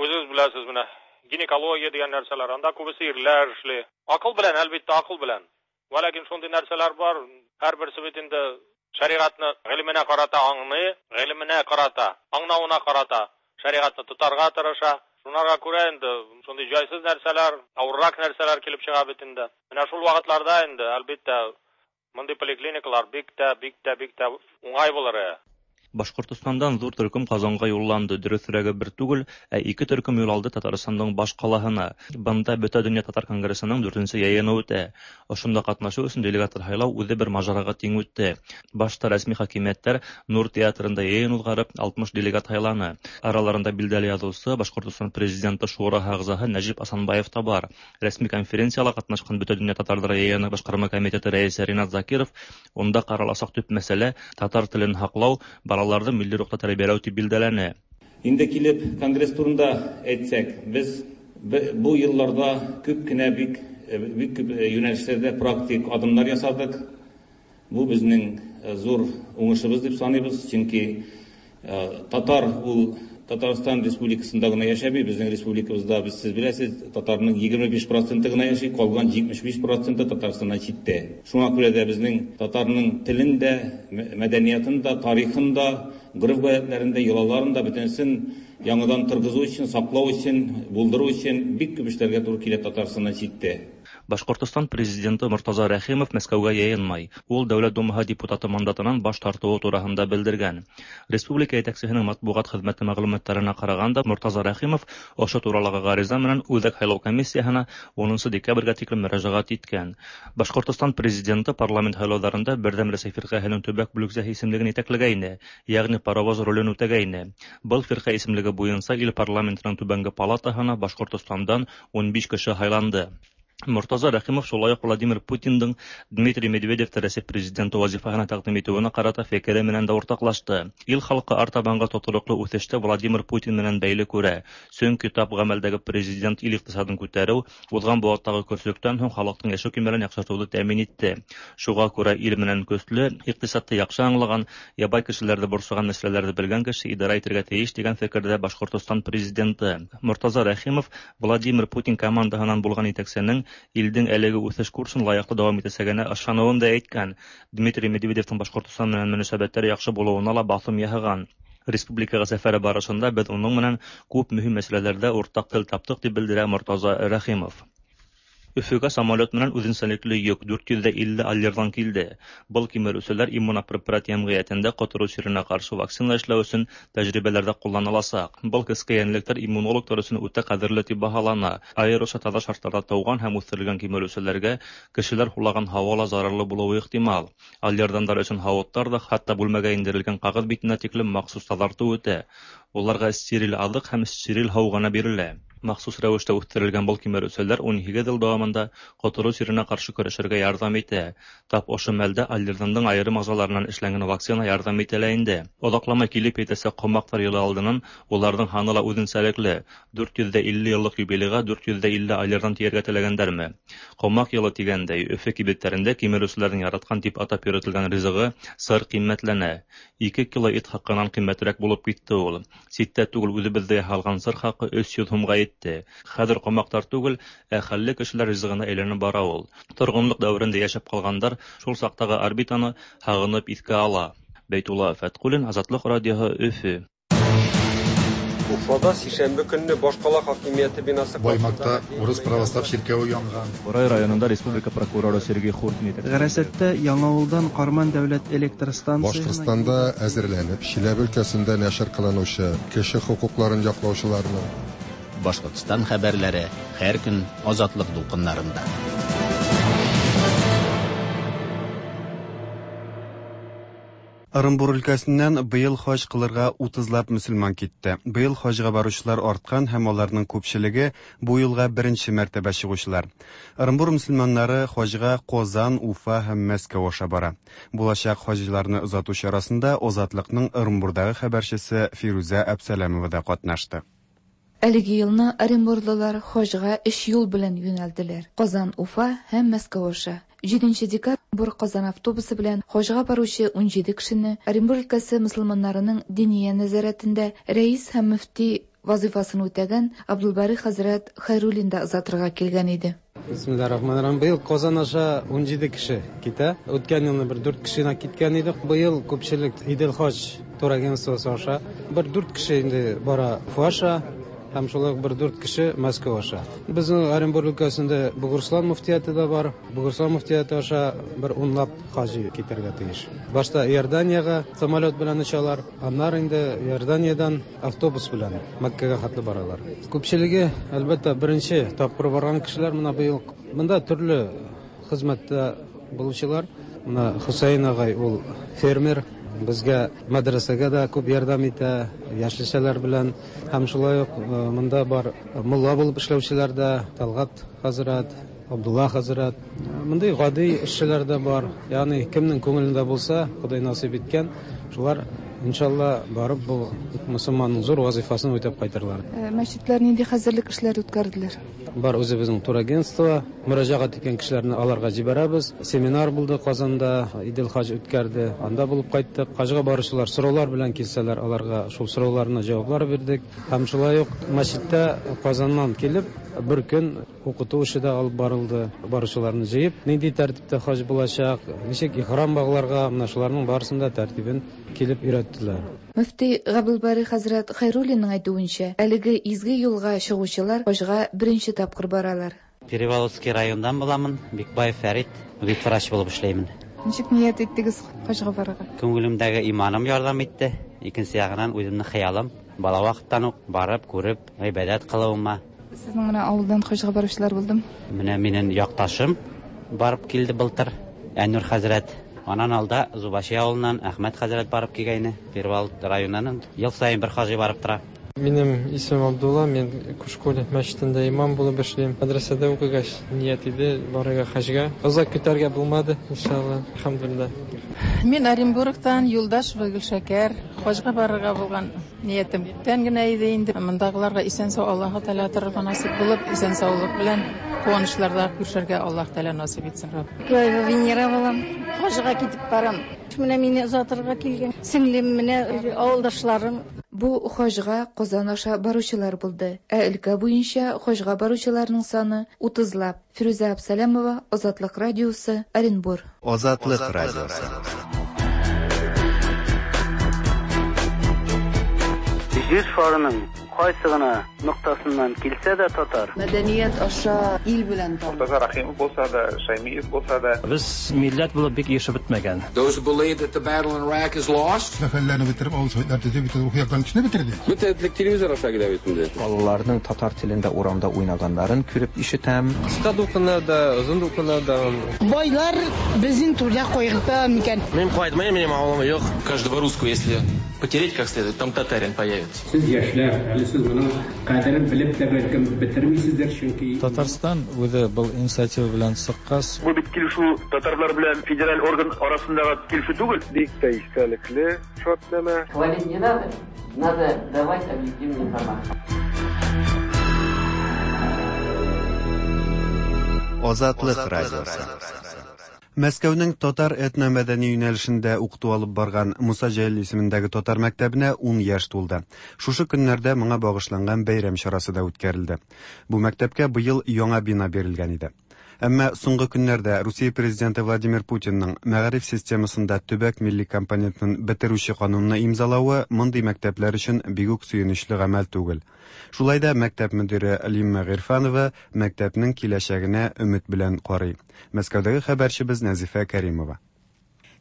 Speaker 8: үҙегеҙ беләсез, менә гинекология дигән нәрсәләр, анда күбесе ирләр эшли. Аҡыл белән, әлбиттә, аҡыл белән. Вәләкин шундый нәрсәләр бар, һәр берсе бит инде шәриғәтне ғилеменә ҡарата аңлый, ғилеменә ҡарата, аңлауына ҡарата шәриғәтне тотарға тырыша. Шунарға күрә инде шундай җайсыз нәрсәләр, авыррак нәрсәләр килеп чыга бит инде. Менә шул вакытларда инде, әлбиттә, мондый поликлиникалар бик тә, бик тә, бик тә уңай булыр.
Speaker 13: Башҡортостандан ҙур төркөм Ҡазанға юлланды. Дөрөҫөрәге бер түгел, ә ике төркөм юл алды Татарстандың баш ҡалаһына. Бында Бөтә донъя татар конгрессының дүртенсе йыйыны үтә. Ошонда ҡатнашыу өсөн делегаттар һайлау үҙе бер мажараға тиң үтте. Башта рәсми хакимиәттәр Нур театрында йыйын уҙғарып, алтмыш делегат һайланы. Араларында билдәле яҙыусы, Башҡортостан президенты шураһы ағзаһы Нәжип Асанбаев та бар. Рәсми конференцияла ҡатнашҡан Бөтә донъя татарҙары йыйыны башҡарма комитеты рәйесе Ринат Закиров унда ҡараласаҡ төп мәсьәлә татар телен һаҡлау, балаларҙы милли рухта тәрбиәләү тип билдәләне.
Speaker 14: Инде килеп конгресс турында әйтсәк, без бу йылларда күп кенә бик бик күп юнәлешләрдә практик адымнар ясадык. Бу безнең зур уңышыбыз дип саныйбыз, чөнки татар ул Татарстан Республикасында гына яшәми, безнең республикабызда без сез беләсез, татарның егерме биш проценты гына яши, калган җитмеш биш проценты Татарстаннан читтә. Шуңа күрә дә безнең татарның телен дә, мәдәниятын да, тарихын да, гореф-гадәтләрен дә, йолаларын да бөтенесен яңадан торгызу өчен, саклау өчен, булдыру өчен бик күп эшләргә туры килә Татарстаннан читтә.
Speaker 13: Башҡортостан президенты Мортаза Рәхимов Мәскәүгә йыйынмай. Ул Дәүләт Думаһы депутаты мандатынан баш тартыуы тураһында белдергән. Республика етәксеһенең матбуғат хеҙмәте мәғлүмәттәренә ҡарағанда, Мортаза Рәхимов ошо туралағы ғариза менән Үҙәк һайлау комиссияһына унынсы декабргә тиклем мөрәжәғәт иткән. Башҡортостан президенты парламент һайлауҙарында Берҙәм Рәсәй фирҡәһенең төбәк бүлексәһе исемлеген етәкләгәйне, йәғни паровоз ролен үтәгәйне. Был фирҡә исемлеге буйынса ил парламентының түбәнге палатаһына Башҡортостандан ун биш кеше һайланды. Мортаза Рәхимов шулай уҡ Владимир Путиндың Дмитрий Медведевте Рәсәй президенты вазифаһына тәҡдим итеүенә ҡарата фекере менән дә уртаҡлашты. Ил халҡы артабанғы тотороҡло үҫеште Владимир Путин менән бәйле күрә. Сөнки тап ғәмәлдәге президент ил иҡтисадын күтәреү, уҙған быуаттағы көрсөктән һуң халыҡтың йәшәү кимәлен яҡшыртыуҙы тәьмин итте. Шуға күрә ил менән көслө, иҡтисадты яҡшы аңлаған, ябай кешеләрҙе борсоған мәсьәләләрҙе белгән кеше идара итергә тейеш тигән фекерҙә Башҡортостан президенты. Мортаза Рәхимов Владимир Путин командаһынан булған етәксенең илдең әлеге үҫеш курсын лайыҡлы дауам итәсәгенә ышаныуын да әйткән. Дмитрий Медведевтың Башҡортостан менән мөнәсәбәттәре яҡшы булыуына ла баҫым яһаған. Республикаға сәфәре барышында беҙ уның менән күп мөһим мәсьәләләрҙә уртаҡ тел таптыҡ, тип белдерә Мортаза Рәхимов. Өфөгә самолет менән үҙенсәлекле йөк дүрт йөҙ илле аллерҙан килде. Был кимереүселәр иммунопрепарат йәмғиәтендә ҡотороу сиренә ҡаршы вакцина эшләү өсөн тәжрибәләрҙә ҡулланыласаҡ. Был кескәй йәнлектәр иммунологтар өсөн үтә ҡәҙерле тип баһалана. Айырыуса таҙа шарттарҙа тыуған һәм үҫтерелгән кимереүселәргә кешеләр һулаған һауа ла зарарлы булыуы ихтимал. Аллердандар өсөн һауыттар да, хатта бүлмәгә индерелгән ҡағыҙ битенә тиклем махсус таҙартыу үтә. Уларға стерил аҙыҡ һәм стерил һыу ғына бирелә. Махсус рәүештә үҫтерелгән был кимереүселәр ун һигеҙ йыл дауамында ҡотороу сиренә ҡаршы көрәшергә ярҙам итә. Тап ошо мәлдә аллердандың айырым ағзаларынан эшләнгән вакцина ярҙам итә лә инде. Оҙаҡламай килеп етәсәк ҡомаҡтар йылы алдынан уларҙың һаны ла үҙенсәлекле. Дүрт йөҙ илле йыллыҡ юбилейға дүрт йөҙ илле аллердан тейергә теләгәндәрме? Ҡомаҡ йылы тигәндәй, Өфө кибеттәрендә кимереүселәрҙең яратҡан тип атап йөрөтөлгән ризығы сыр ҡиммәтләнә. Ике кило ит хаҡынан ҡиммәтерәк булып китте ул. Ситтә түгел, үҙебеҙҙә яһалған сыр хаҡы өс йөҙ һумға етте. Хәҙер ҡомаҡтар түгел, ә хәлле кешеләр ризығына әйләнеп бара ул. Торғонлоҡ дәүерендә йәшәп ҡалғандар шул саҡтағы орбитаны һағынып иҫкә ала. Бәйтулла Фәтҡуллин, Азатлыҡ радиоһы, Өфө.
Speaker 15: Уфада сишәмбе көнне башҡала хакимиәте бинасы
Speaker 16: Баймаҡта урыҫ православ ширкәүе янған.
Speaker 13: Ҡурай районында республика прокуроры Сергей Хуртин етәксе.
Speaker 17: Ғәрәсәттә Яңауылдан Ҡарман дәүләт электр станцияһына
Speaker 16: Башҡортостанда әҙерләнеп, Чиләбе өлкәсендә нәшер ҡылыныусы кеше хоҡуҡларын яҡлаусыларының
Speaker 9: Башҡортостан хәбәрләре һәр көн Азатлыҡ дулҡындарында.
Speaker 12: Ырынбур өлкәсеннән быел хаҗ кылырга утызлап мөселман китте. Быел хаҗга баручылар арткан һәм аларның күпчелеге бу юлга беренче мәртәбә чыгучылар. Ырынбур мөселманнары хаҗга Казан, Уфа һәм Мәскәү аша бара. Булачак хаҗиларны озату чарасында Азатлыкның Ырынбурдагы хәбәрчесе Фирүзә Әбсәләмова да катнашты.
Speaker 18: Әлеге елны оренбурлылар хаҗга өч юл белән юнәлделәр: Казан, Уфа һәм Мәскәү аша. Җиденче декабрь Казан автобусы белән хаҗга баручы унҗиде кешене Оренбур өлкәсе мөселманнарының диния нәзарәтендә рәис һәм мөфти вазифасын үтәгән Абдулбари хәзрәт Хәйруллин да озатырга килгән иде.
Speaker 17: Бисмиллахир-рахманир-рахим. Быел Казан аша унҗиде кеше китә. Үткән елны бер дүрт кеше генә киткән иде. Быел күпчелек Идел хаҗ турагентствосы аша бер дүрт кеше инде бара Уфа аша. Һәм шулай ук бер дүрт кеше Мәскәү аша. Безнең Оренбур өлкәсендә Бугурслан мөфтияте дә бар. Бугурслан мөфтияте аша бер унлап хаҗи китәргә тиеш. Башта Иорданиягә самолет белән очалар, аннары инде Иорданиядән автобус белән Мәккәгә хәтле баралар. Күпчелеге, әлбәттә, беренче тапкыр барган кешеләр менә быел монда төрле хезмәттә булучылар. Менә Хусейн агай ул фермер, безгә мәдрәсәгә дә күп ярдәм итә, яшелчәләр белән. Һәм шулай ук монда бар мулла булып эшләүчеләр дә, Талгат хәзрәт, Абдулла хәзрәт. Мондый гади эшчеләр дә бар. Ягъни кемнең күңелендә булса, Ходай насыйп иткән, шулар иншалла барып бу мөселманның зур вазифасын үтәп кайтырлар.
Speaker 18: Мәчетләр нинди хәзерлек эшләре үткәрделәр?
Speaker 17: Бар үзебезнең турагентство, мөрәҗәгать иткән кешеләрне аларга җибәрәбез. Семинар булды Казанда, Идел хаҗ үткәрде, анда булып кайттык. Хаҗга баручылар сораулар белән килсәләр, аларга шул сорауларына җаваплар бирдек. Һәм шулай ук мәчеттә Казаннан килеп бер көн укыту эше дә алып барылды. Баручыларны җыеп, нинди тәртиптә хаҗ булачак, ничек ихрам багларга, менә шуларның барысын да тәртибен килеп өйрәттеләр.
Speaker 18: Мөфти Габдулбари хәзрәт Хәйруллинның әйтүенчә, әлеге изге юлга чыгучылар хаҗга беренче тапкыр баралар.
Speaker 19: Переволоцкий райондан буламын, Бикбаев Фәрит, ветврач булып эшләймен.
Speaker 18: Ничек ният иттегез хаҗга барырга?
Speaker 19: Күңелемдәге иманым ярдәм итте. Икенче ягынан үземнең хыялым, бала вакыттан ук барып, күреп, гыйбадәт кылуыма.
Speaker 18: Сезнең менә авылдан хаҗга баручылар булдымы?
Speaker 19: Менә минем якташым барып килде былтыр, Әнур хәзрәт. Анан алда Зубаши авылыннан Әхмәт хәзрәт барып килгәйне. Перевал районыннан ел саен бер хаҗи барып тора.
Speaker 17: Минем исемем Абдулла, мин Кушкул мәчетендә имам булып эшлим. Мәдрәсәдә укыгач ният иде барырга хаҗга. Озак көтәргә булмады, иншалла. Әлхәмдүлилләһ.
Speaker 20: Мин Оренбургтан Юлдашева Гөлшәкәр. Хаҗга барырга булган ниятем күптән генә иде инде. Мондагыларга исән-сау Аллаһы Тәгалә торырга насыйп булып, исән-саулык белән куанычларда күрешергә Аллаһ Тәгалә насыйп итсен.
Speaker 1: Бикбаева Венера булам. Хаҗга китеп барам. Менә мине озатырга килгән сеңлем, менә авылдашларым.
Speaker 18: Бу хаҗга Казан аша баручылар булды. Ә өлкә буенча хаҗга баручыларның саны утызлап. Фирүзә Абсалямова, Азатлык радиосы, Оренбур.
Speaker 21: Азатлык радиосы.
Speaker 22: Җир шарының кайсы гына ноктасыннан килсә дә татар.
Speaker 23: Мәдәният аша ил белән таныш.
Speaker 24: Мортаза Рахимов булса да, Шаймиев булса да.
Speaker 25: Без милләт булып бик ешып бетмәгән.
Speaker 26: Those who believe that the battle in Iraq is lost.
Speaker 16: Мәхәлләне бетереп, авыл советлар төзеп, бөтен рухи яктан кешене бетерде.
Speaker 15: Бөтен телевизор аша килә бит инде.
Speaker 10: Балаларның татар телендә урамда уйнаганнарын күреп ишетәм.
Speaker 15: Кыска дулкыннарда, озын дулкыннарда.
Speaker 27: Байлар безнең түрдә кайгырта микән?
Speaker 28: Мин кайтмыйм, минем авылым юк.
Speaker 29: Каждого русского, если потереть как следует, там татарин появится.
Speaker 30: Сез яшьләр, әле сез моның кадерен белеп тә бәлкем бетермисездер, чөнки
Speaker 31: Татарстан үзе был инициатива белән чыккач,
Speaker 35: бу бит килешү татарлар белән федераль орган арасындагы килешү түгел.
Speaker 15: Бик тә истәлекле шартнамә.
Speaker 36: Хвалить не надо, надо давать объективную информацию.
Speaker 21: Азатлык радиосы.
Speaker 12: Мәскәүнең татар этномәдәни юнәлешендә укыту алып барган Муса Җәлил исемендәге татар мәктәбенә ун яшь тулды. Шушы көннәрдә моңа багышланган бәйрәм чарасы да үткәрелде. Бу мәктәпкә быел яңа бина бирелгән иде. Әмма соңгы көннәрдә Русия президенты Владимир Путинның мәгариф системасында төбәк милли компонентын бетерүче канунны имзалавы мондый мәктәпләр өчен бик үк сөенечле гамәл түгел. Шулай да мәктәп мөдире Лимма Гыйрфанова мәктәпнең киләчәгенә өмет белән карый. Мәскәүдәге хәбәрчебез Нәзифә Кәримова.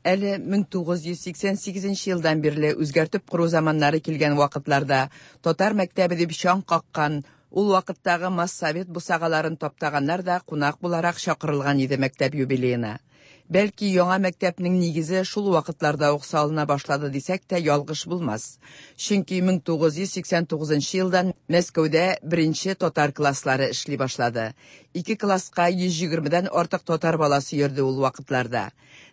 Speaker 37: Әле мең тугыз йөз сиксән сигезенче елдан бирле үзгәртеп кору заманнары килгән вакытларда татар мәктәбе дип чаң каккан, ул вакыттагы массовет бусагаларын таптаганнар да кунак буларак чакырылган иде мәктәп юбилеена. Бәлки яңа мәктәпнең нигезе шул вакытларда ук салына башлады дисәк тә ялгыш булмас. Чөнки мең тугыз йөз сиксән тугызынчы елдан Мәскәүдә беренче татар класслары эшли башлады. Ике класска йөз егермедән артык татар баласы йөрде ул вакытларда.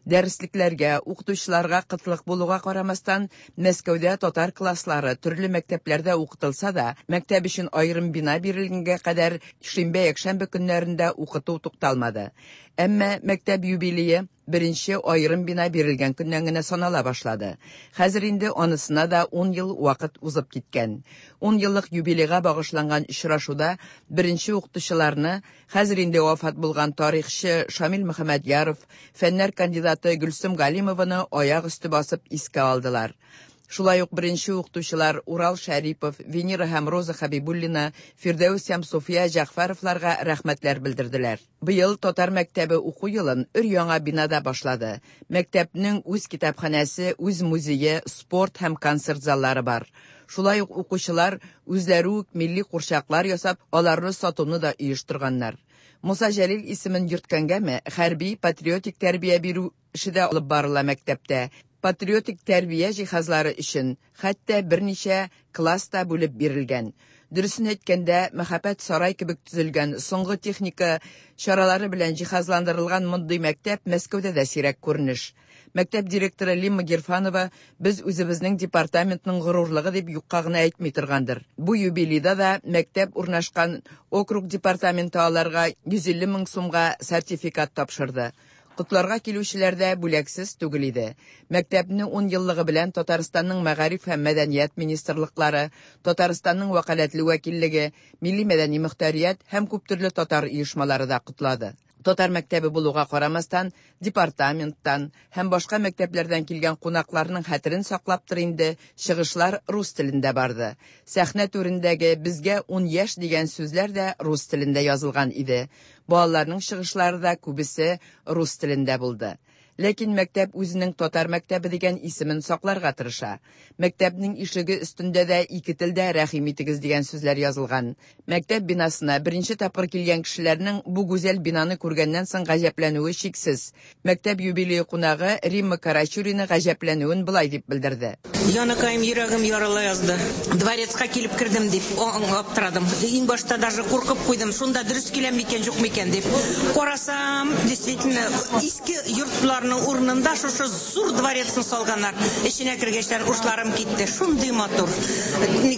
Speaker 37: Дәреслекләргә, укытучыларга кытлык булуга карамастан, Мәскәүдә татар класслары төрле мәктәпләрдә укытылса да, мәктәп өчен аерым бина бирелгәнгә кадәр шимбә-якшәмбе көннәрендә укыту тукталмады. Әмма мәктәп юбилее беренче аерым бина бирелгән көннән генә санала башлады. Хәзер инде анысына да ун ел вакыт узып киткән. Ун еллык юбилейга багышланган очрашуда беренче укытучыларны хәзер инде вафат булган тарихчы Шамил Мөхәммәдьяров, фәннәр кандидаты Гөлсем Галимованы аяк өсте басып искә алдылар. Шулай ук беренче укытучылар Урал Шәрипов, Венера һәм Роза Хабибуллина, Фирдәүс һәм София Җәгъфәровларга рәхмәтләр белдерделәр. Быел татар мәктәбе уку елын өр-яңа бинада башлады. Мәктәпнең үз китапханәсе, үз музее, спорт һәм концерт заллары бар. Шулай ук укучылар үзләре үк милли курчаклар ясап, аларны сатуны да оештырганнар. Муса Җәлил исемен йөрткәнгәме, хәрби патриотик тәрбия бирү эше дә алып барыла мәктәптә. Патриотик тәрбия җиһазлары өчен хәтта берничә класс та бүлеп бирелгән. Дөресен әйткәндә, мәхәббәт сарай кебек төзелгән соңгы техника чаралары белән җиһазландырылган мондый мәктәп Мәскәүдә дә сирәк күренеш. Мәктәп директоры Лимма Гирфанова без үзебезнең департаментның горурлыгы дип юкка гына әйтми торгандыр. Бу юбилейда да мәктәп урнашкан округ департаменты аларга йөз илле мең сумга сертификат тапшырды. Котларга килүчеләр дә бүләксез түгел иде. Мәктәпне ун еллыгы белән Татарстанның Мәгариф һәм Мәдәният министрлыклары, Татарстанның вәкаләтле вәкиллеге, Милли мәдәни мөхтәрият һәм күптөрле татар оешмалары да котлады. Татар мәктәбе булуга карамастан, департаменттан һәм башка мәктәпләрдән килгән кунакларның хәтерен саклаптыр инде, чыгышлар рус телендә барды. Сәхнә түрендәге безгә ун яшь дигән сүзләр дә рус телендә язылган иде. Балаларның чыгышлары да күбесе рус телендә булды. Ләкин мәктәп үзенең татар мәктәбе дигән исемен сакларга тырыша. Мәктәпнең ишеге өстендә дә ике телдә рәхим итегез дигән сүзләр язылган. Мәктәп бинасына беренче тапкыр килгән кешеләрнең бу гүзәл бинаны күргәннән соң гаҗәпләнүе шиксез. Мәктәп юбилее кунагы Римма Карачурина гаҗәпләнүен былай дип белдерде.
Speaker 2: Яныкаем, йөрәгем ярыла язды. Дворецка килеп кердем дип аптырадым. Иң башта даже куркып куйдым. Шунда дөрес киләм микән, юк микән дип. Карасам, действительно, иске йортларның урынында шушы зур дворецны салганнар. Эченә кергәчләр ушларым китте. Шундый матур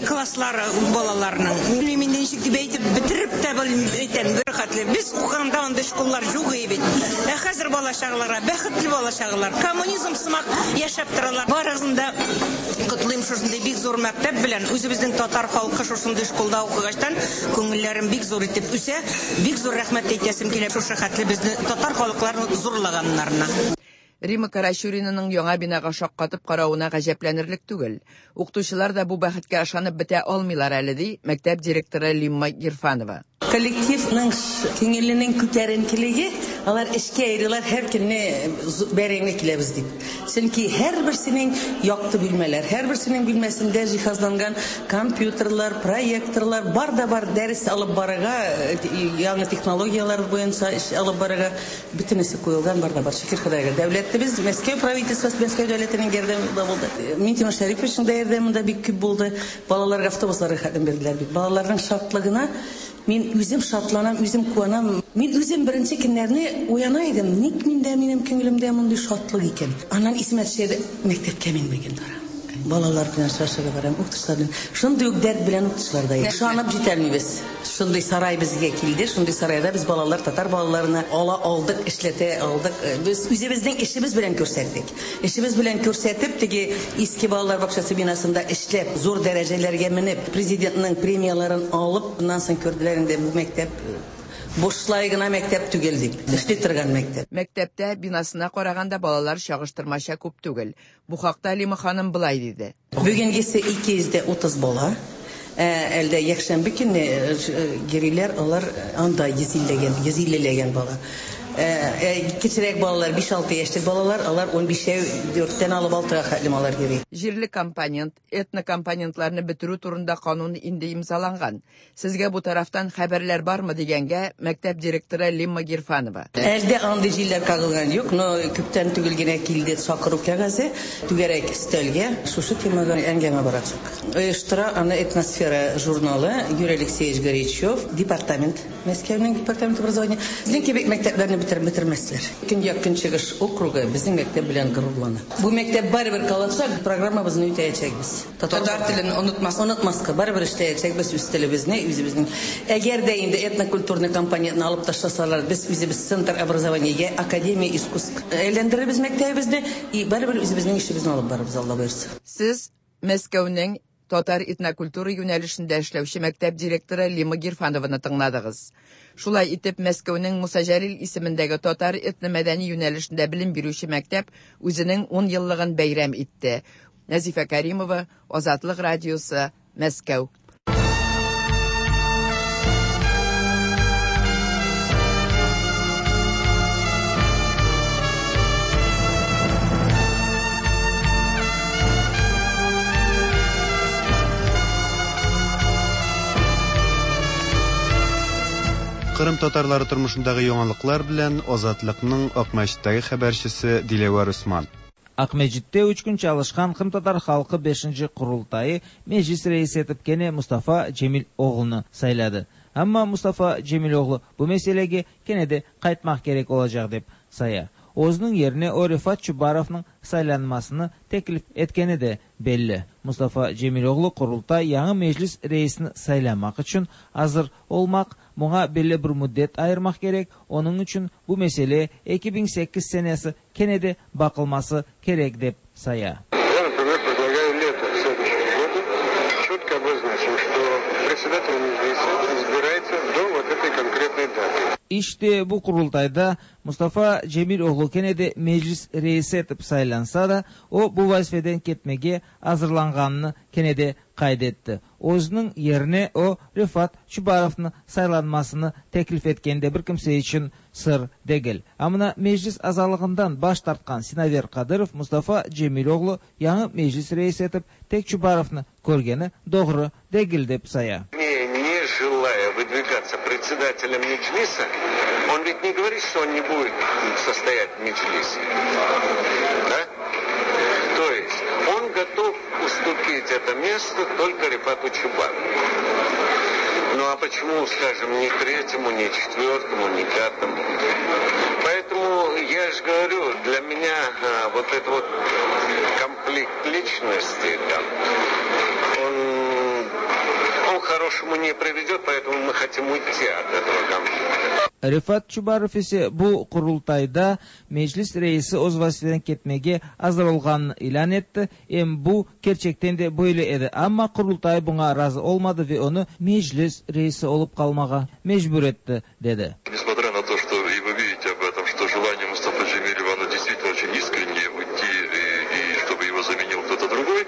Speaker 2: класслары балаларның. Белмим инде ничек дип әйтеп бетереп тә белмим, әйтәм, бер хәтле. Без укыганда андый школлар юк иде бит. Ә хәзер бала чагаларга, бәхетле бала чагалар, коммунизм сымак яшәп торалар. Барысын да котлыйм шушындый бик зур мәктәп белән. Үзебезнең татар халкы шушындый школда укыгачтан күңелләрем бик зур итеп үсә. Бик зур рәхмәт әйтәсем килә шушы хәтле безне татар халыкларын зурлаганнарына.
Speaker 37: Римма Карачуринаның яңа бинага шаккатып каравына гаҗәпләнерлек түгел. Укытучылар да бу бәхеткә ышанып бетә алмыйлар әле, ди мәктәп директоры Лимма Гирфанова.
Speaker 3: Коллективның күңеленең күтәренкелеге, алар эшкә йөриләр, һәр көнне бәрәңге киләбез дип. Чөнки һәрберсенең якты бүлмәләр, һәрберсенең бүлмәсендә җиһазланган компьютерлар, проекторлар, бар да бар дәрес алып барырга, яңа технологияләр буенча эш алып барырга бөтенесе куелган, бар да бар. Шөкер Ходайга. Дәүләтебез, Мәскәү правительствосы, Мәскәү дәүләтенең ярдәме дә булды. Минтимер Шәриповичның да ярдәме дә бик күп булды. Балаларга автобусларга хәтем бирделәр бит. Балаларның шатлыгына мин үзем шатланам, үзем куанам. Мин үзем беренче көннәрне уяна идем. Ник миндә, минем күңелемдә мондый шатлык икән? Аннан исемә төшә, мәктәпкә мин бүген барам. Балалар белән очрашырга барам, укытучылар белән. Шундый ук дәрт белән укытучылар да. Ышанып җитәлмибез. Шундый сарай безгә килде, шундый сарайда без балалар, татар балаларына ала алдык, эшләтә алдык. Без үзебезнең эшебез белән күрсәттек. Эшебез белән күрсәтеп, теге иске балалар бакчасы бинасында эшләп, зур дәрәҗәләргә менеп, президентның премияларын алып, аннан соң күрделәр инде бу мәктәп бушлай гына мәктәп түгел дип, эшли торган мәктәп.
Speaker 37: Мәктәптә бинасына караганда балалар чагыштырмача күп түгел. Бу хакта Лима ханым былай диде.
Speaker 3: Бүгенгесе ике йөз дә утыз бала. Әлдә якшәмбе көнне гириләр, алар анда йөз иллеләгән, йөз иллеләгән бала. Кечерәк балалар, биш-алты яшьлек балалар, алар унбишәү, дүрттән алып алтыга хәтлем алар йөри.
Speaker 37: Җирле компонент, этнокомпонентларны бетерү турында канун инде имзаланган. Сезгә бу тарафтан хәбәрләр бармы дигәнгә мәктәп директоры Лимма Гирфанова.
Speaker 3: Әлдә андый җилләр кагылган юк, но күптән түгел генә килде чакыру кәгазе, түгәрәк өстәлгә шушы темага әңгәмә барачак. Оештыра аны Этносфера журналы, Юрий Алексеевич Горячев, департамент, Мәскәүнең департамент образования. Безнең кебек мәктәпләрне бетереп бетермәсләр. Көньяк Көнчыгыш округы безнең мәктәп белән горурлана. Бу мәктәп барыбер калачак, программабызны үтәячәкбез.
Speaker 37: Татар телен онытмас,
Speaker 3: онытмаска, барыбер эшләячәкбез үз телебезне, үзебезнең. Әгәр дә инде этнокультурный компонентны алып ташласалар, без үзебез центр образования, академия искусств әйләндерербез мәктәбебезне и барыбер үзебезнең эшебезне алып барырбыз, Алла боерса.
Speaker 37: Сез Мәскәүнең татар этнокультура юнәлешендә эшләүче мәктәп директоры Лима Гирфанованы тыңладыгыз. Шулай итеп, Мәскәүнең Муса Җәлил исемендәге татар этномәдәни юнәлешендә белем бирүче мәктәп үзенең ун еллыгын бәйрәм итте. Нәзифә Каримова, Азатлык радиосы, Мәскәү.
Speaker 12: Кырым татарлары тормышындагы яңалыклар белән Азатлыкның Акмәчеттәге хәбәрчесе Диләвәр Усман.
Speaker 1: Акмәчеттә өч көн чалышкан Кырым татар халкы бешенче Корылтайы меҗлис рәисе итеп кене Мустафа Җемил оглыны сайлады. Әмма Мустафа Җемил оглы бу мәсьәләгә кене дә кайтмак кирәк булачак дип сая. Өзінің yerine o Rifat Çubarovның saylanmasını teklif etkeni de belli. Mustafa Cemiloğlu Kurultay яңы meclis reisini saylamak için hazır olmak, buna belli bir müddet ayırmak gerek. Onun için bu mesele iki bin sekiz senesi kene de bakılması gerek dep saya.
Speaker 4: Я, например, предлагаю лето следующего года четко обозначим, что председатель мeclиса избирается до вот этой конкретной даты.
Speaker 1: İşte bu kurultayda Mustafa Cemiloğlu kene de meclis reisi etip saylansa da o bu vazifeden ketmege hazırlanganını kene de kaydetti. Özünün yerine o Rifat Çubarov'un saylanmasını teklif etkende bir kimse için sır değil. Amına meclis azalığından baş tartkan Sinaver Kadırov Mustafa Cemiloğlu yañı meclis reisi etip tek Çubarov'nu körgeni doğru değil dep saya.
Speaker 4: Не желая выдвигаться председателем Меджлиса, он ведь не говорит, что он не будет состоять в Меджлисе. Да? То есть он готов уступить это место только Рифату Чубарову. Ну а почему, скажем, ни третьему, ни четвертому, ни пятому? Поэтому я же говорю, для меня а, вот этот вот конфликт личности, там, он, он к хорошему не приведет, поэтому мы хотим уйти от этого конфликта.
Speaker 1: Рифат Чубаров ise bu kurultayda meclis reisi öz vazifeden ketmege hazır olganını ilan etti. Em bu gerçekten de böyle edi. Ama kurultay buna razı olmadı ve onu meclis reisi olup kalmağa mecbur etti dedi.
Speaker 5: Несмотря на то, что и вы видите об этом, что желание Мустафы Джемилева, оно действительно очень искреннее уйти и, и чтобы его заменил кто-то другой,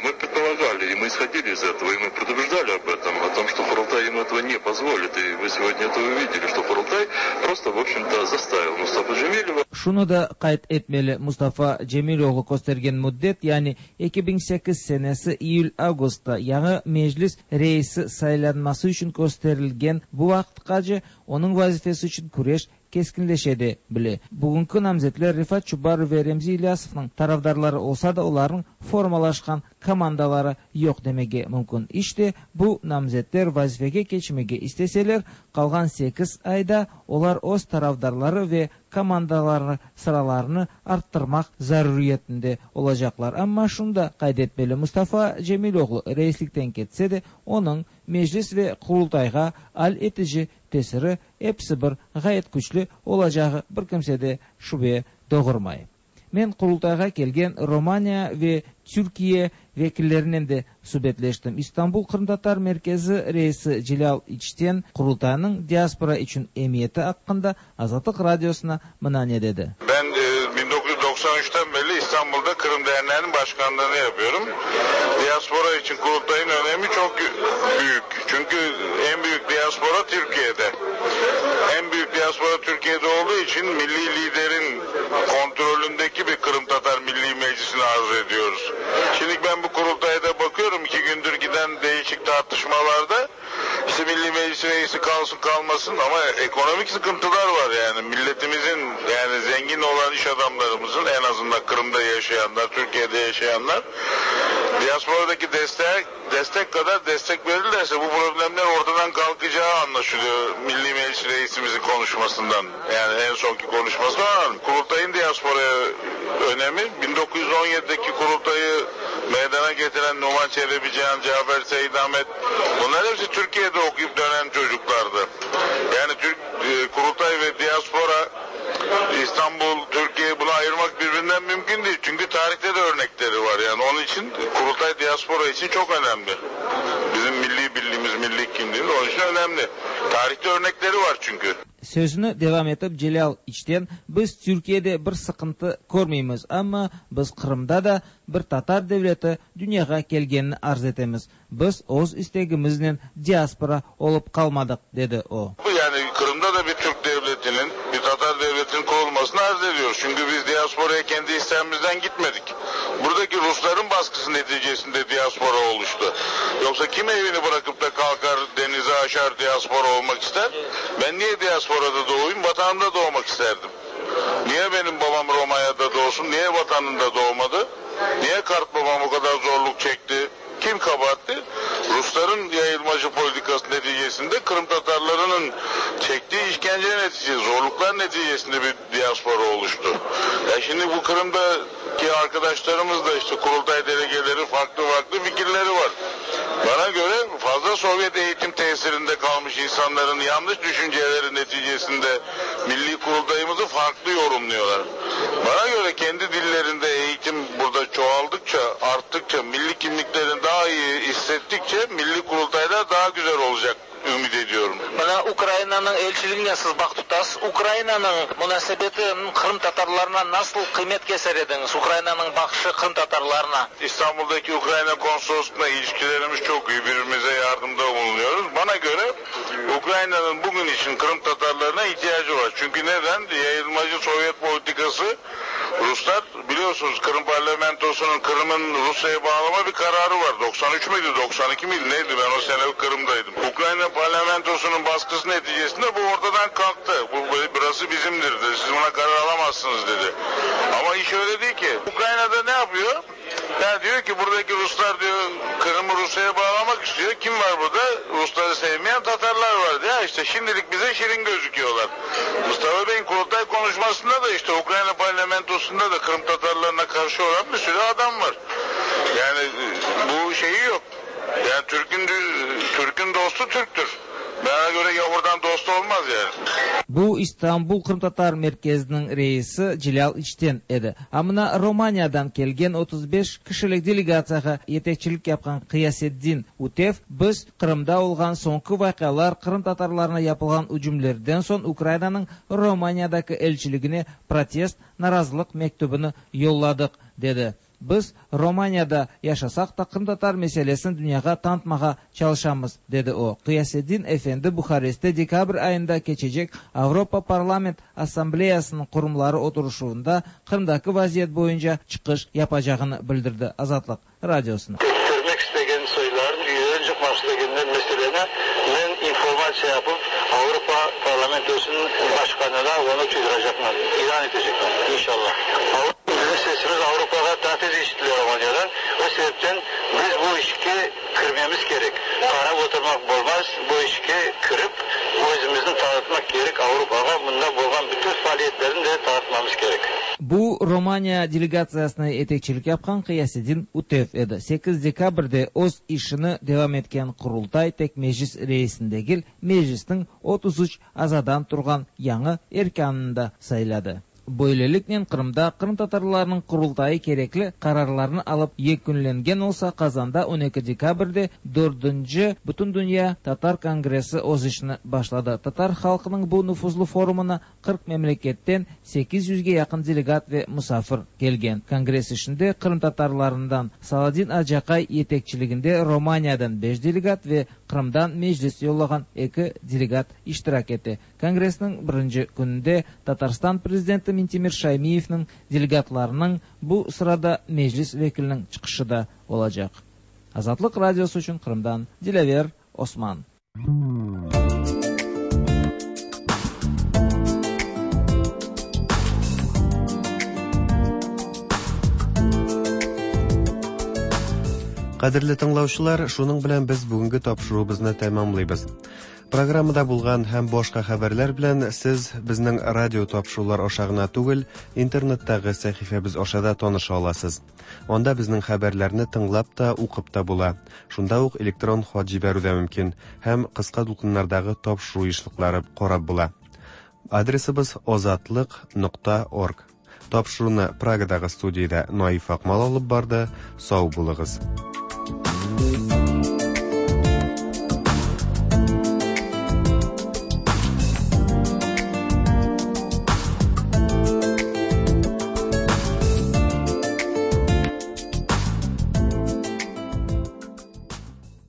Speaker 5: мы предполагали, и мы исходили из этого, и мы предупреждали об этом, о том, что Курултай им этого не позволит. И вы сегодня это увидели, что Курултай просто, в общем-то, заставил Мустафа Джемилева.
Speaker 1: Şunu da kayıt etmeli, Mustafa Cemiloğlu göstergen müddet, yani iki bin sekiz senesi Eylül-Ağustos'ta yañı meclis reisi saylanması için gösterilgen bu vaqıtqace onun vazifesi için küreş keskinleşedi bile. Bugünkü namzetler Rifat Çubarov ve Remzi İlyasov'un tarafdarları olsa da onların formalaşkan komandaları yok demege mümkün. İşte bu namzetler vazifege geçmege isteseler, kalgan sekiz ayda onlar öz tarafdarları ve komandaları sıralarını arttırmak zaruriyetinde olacaklar. Ama şunu da kaydetmeli, Mustafa Cemiloğlu reislikten ketse de onun meclis ve kurultayğa al etici tesiri hepsi bir gayet güçlü olacağı bir kimse de şüphe doğurmay. Men kurultayğa kelgen Romanya ve Türkiye vekillerinen de subetleştim. İstanbul Qırımtatar Merkezi reisi Celal İçten kurultayının diaspora için emiyeti hakkında Azatlıq Radyosuna mına ne dedi.
Speaker 6: Ben e, bin dokuz yüz doksan üçten beri İstanbul İstanbul'da Kırım Derneği'nin başkanlığını yapıyorum. Diaspora için kurultayın önemi çok büyük. Çünkü en büyük diaspora Türkiye'de. En büyük diaspora Türkiye'de olduğu için milli liderin kontrolündeki bir Kırım Tatar Milli Meclisi'ni arzu ediyoruz. Şimdi ben bu kurultayda bakıyorum, iki gündür giden değişik tartışmalarda işte Milli Meclis reisi kalsın kalmasın ama ekonomik sıkıntılar var yani. Milletimizin, yani zengin olan iş adamlarımızın, en azından Kırım'da yaşayanlar, Türkiye'de yaşayanlar diasporadaki destek, destek kadar destek verirlerse bu problemler ortadan kalkacağı anlaşılıyor Milli Meclis reisimizin konuşmasından. Yani en sonki konuşmasından. Kurultayın diasporaya önemi, bin dokuz yüz on yedideki kurultayı meydana getiren Numan Çelebi Cihan, Cafer Seyit Ahmet, bunlar hepsi Türkiye'de okuyup dönen çocuklardı. Yani Türk e, kurultay ve diaspora, İstanbul, Türkiye, bunu ayırmak birbirinden mümkün değil. Çünkü tarihte de örnekleri var yani. Onun için kurultay diaspora için çok önemli. Bizim milli birliğimiz, milli kimliğimiz onun için önemli. Tarihte örnekleri var çünkü.
Speaker 1: Sözüni devam etip Celal İçten, biz Türkiye'de bir sıkıntı körmeymiz, ama biz Kırım'da da bir Tatar devleti dünyaga kelgenini arz etemiz. Biz öz istegimizle diaspora olup kalmadık, dedi o.
Speaker 6: Yani Kırım'da da bir Türk devletinin, bir Tatar devletinin kurulmasını arz ediyoruz. Çünkü biz diasporaya kendi istemimizden gitmedik. Buradaki Rusların baskısı neticesinde diaspora oluştu. Yoksa kim evini bırakıp da kalkar denize aşar diaspora olmak ister? Ben niye diasporada doğayım? Vatanımda doğmak isterdim. Niye benim babam Romanya'da doğsun? Niye vatanında doğmadı? Niye kart babam o kadar zorluk çekti? Kim kabahatli? Rusların yayılmacı politikası neticesinde Kırım Tatarlarının çektiği işkence neticesi, zorluklar neticesinde bir diaspora oluştu. Ya şimdi bu Kırım'daki arkadaşlarımız da işte kurultay delegeleri farklı farklı fikirleri var. Bana göre fazla Sovyet eğitim tesirinde kalmış insanların yanlış düşünceleri neticesinde milli kurultayımızı farklı yorumluyorlar. Bana göre kendi dillerinde eğitim burada çoğaldıkça, arttıkça, milli kimliklerini daha iyi hissettikçe milli kurultaylar daha güzel olacak ümit ediyorum.
Speaker 7: Mına Ukraynanıñ elçiligine siz baq tutasız. Ukraynanıñ munasebeti Qırım Tatarlarına nasıl qıymet keser ediñiz? Ukraynanıñ baqışı Qırım Tatarlarına.
Speaker 6: İstanbul'daki Ukrayna konsolosluğuyla ilişkilerimiz çok iyi. Birbirimize yardımda bulunuyoruz. Bana göre Ukrayna'nın bugün için Kırım Tatarlarına ihtiyacı var. Çünkü neden? Yayılmacı Sovyet politikası, Ruslar biliyorsunuz Kırım parlamentosunun Kırım'ın Rusya'ya bağlama bir kararı var. doksan üç müydü, doksan iki miydi neydi? Ben o sene Kırım'daydım. Ukrayna parlamentosunun baskısı neticesinde bu ortadan kalktı. Bu burası bizimdir dedi. Siz buna karar alamazsınız dedi. Ama iş öyle değil ki. Ukrayna'da ne yapıyor? Ya diyor ki buradaki Ruslar diyor Kırım'ı Rusya'ya bağlamak istiyor. Kim var burada? Rusları sevmeyen Tatarlar var diyor. İşte şimdilik bize şirin gözüküyorlar. Mustafa Bey'in kurultay konuşmasında da işte Ukrayna parlamentosunda da Kırım Tatarlarına karşı olan bir sürü adam var. Yani bu şeyi yok. Yani Türk'ün Türk'ün dostu Türk'tür. Bana göre yavurdan dost olmaz yani.
Speaker 1: Bu İstanbul Kırım Tatar Merkezi'nin reisi Celal İçten edi. Amına Romanya'dan kelgen otuz beş kişilik delegatsiyaga yetekçilik yapkan Qıyaseddin Utev, biz Kırım'da olgan soңғы vaqalar Kırım Tatarlarına yapılgan hücumlardan soң Ukraynanıñ Romanya'daki elçiligine protest narazılık mektubunu yolladık, dedi. Biz Romanya'da yaşasaq da Kırım Tatar meselesini dünyaga tanıtmağa çalışamız, dedi o. Qıyaseddin Efendi Buharest'te dekabr ayında keçecek Avropa Parlament Assambleyasının kurumları oturuşunda Kırım'daki vaziyet boyunca çıkış yapacağını bildirdi Azatlıq Radyosuna.
Speaker 8: Görmek istegen soyların, üyelerin çıkması istegenler meselene ben informasyon yapıp Avrupa Parlamentosu'nun başkanına onu çözdürecekler, ilan edecekler inşallah. Bizim sesimiz Avrupa'da daha tez işitiliyor Romanya'dan. O sebepten biz bu işki kırmamız gerek. Kara oturmak olmaz. Bu işki kırıp özümüzü tanıtmak gerek Avrupa'ya. Bunda bolgan bütün faaliyetlerini de tanıtmamız gerek.
Speaker 1: Bu Romanya delegatsiyasına yetekçilik yapkan Qıyaseddin Utev edi. sekiz dekabrde öz işini devam etken Kurultay tek meclis reisindegil meclisinin otuz üç azadan turgan yañı erkanını da sayladı. Böyleliknen Qırımda qırımtatarlarnıñ Qurultayı kerekli qararlarnı alıp yekünlengen olsa, Qazanda on eki dekabrde dördünci Bütündünya tatar kongressi öz işini başladı. Tatar halqınıñ bu nufuzlı forumına qırq memleketten sekiz yüzge yaqın delegat ve musafir kelgen. Kongress işinde qırımtatarlarından Saladin Aciaqay yetekçiliginde Romaniyadan beş delegat ve Qırımdan Meclis yollağan eki delegat iştirak ete. Kongressniñ birinci kününde Tatarstan prezidenti Mintimir Şaymiyevniñ delegatlarınıñ, bu sırada Meclis vekiliniñ çıqışı da olacaq. Azatlıq Radiosı içün Qırımdan Dilâver Osman.
Speaker 12: Кадерле тыңлаучылар, шуның белән без бүгенге тапшыруыбызны тәмамлыйбыз. Программада булган һәм башка хәбәрләр белән сез безнең радио тапшырулар аша гына түгел, интернеттагы сәхифәбез аша да таныша аласыз. Анда безнең хәбәрләрне тыңлап та, укып та була. Шунда ук электрон хат җибәрү дә мөмкин һәм кыска дулкыннардагы тапшыру ешлыклары карап була. Адресыбыз озатлык нокта орг. Тапшыруны Прагадагы студиядә Наиф Акмал алып барды. Сау булыгыз.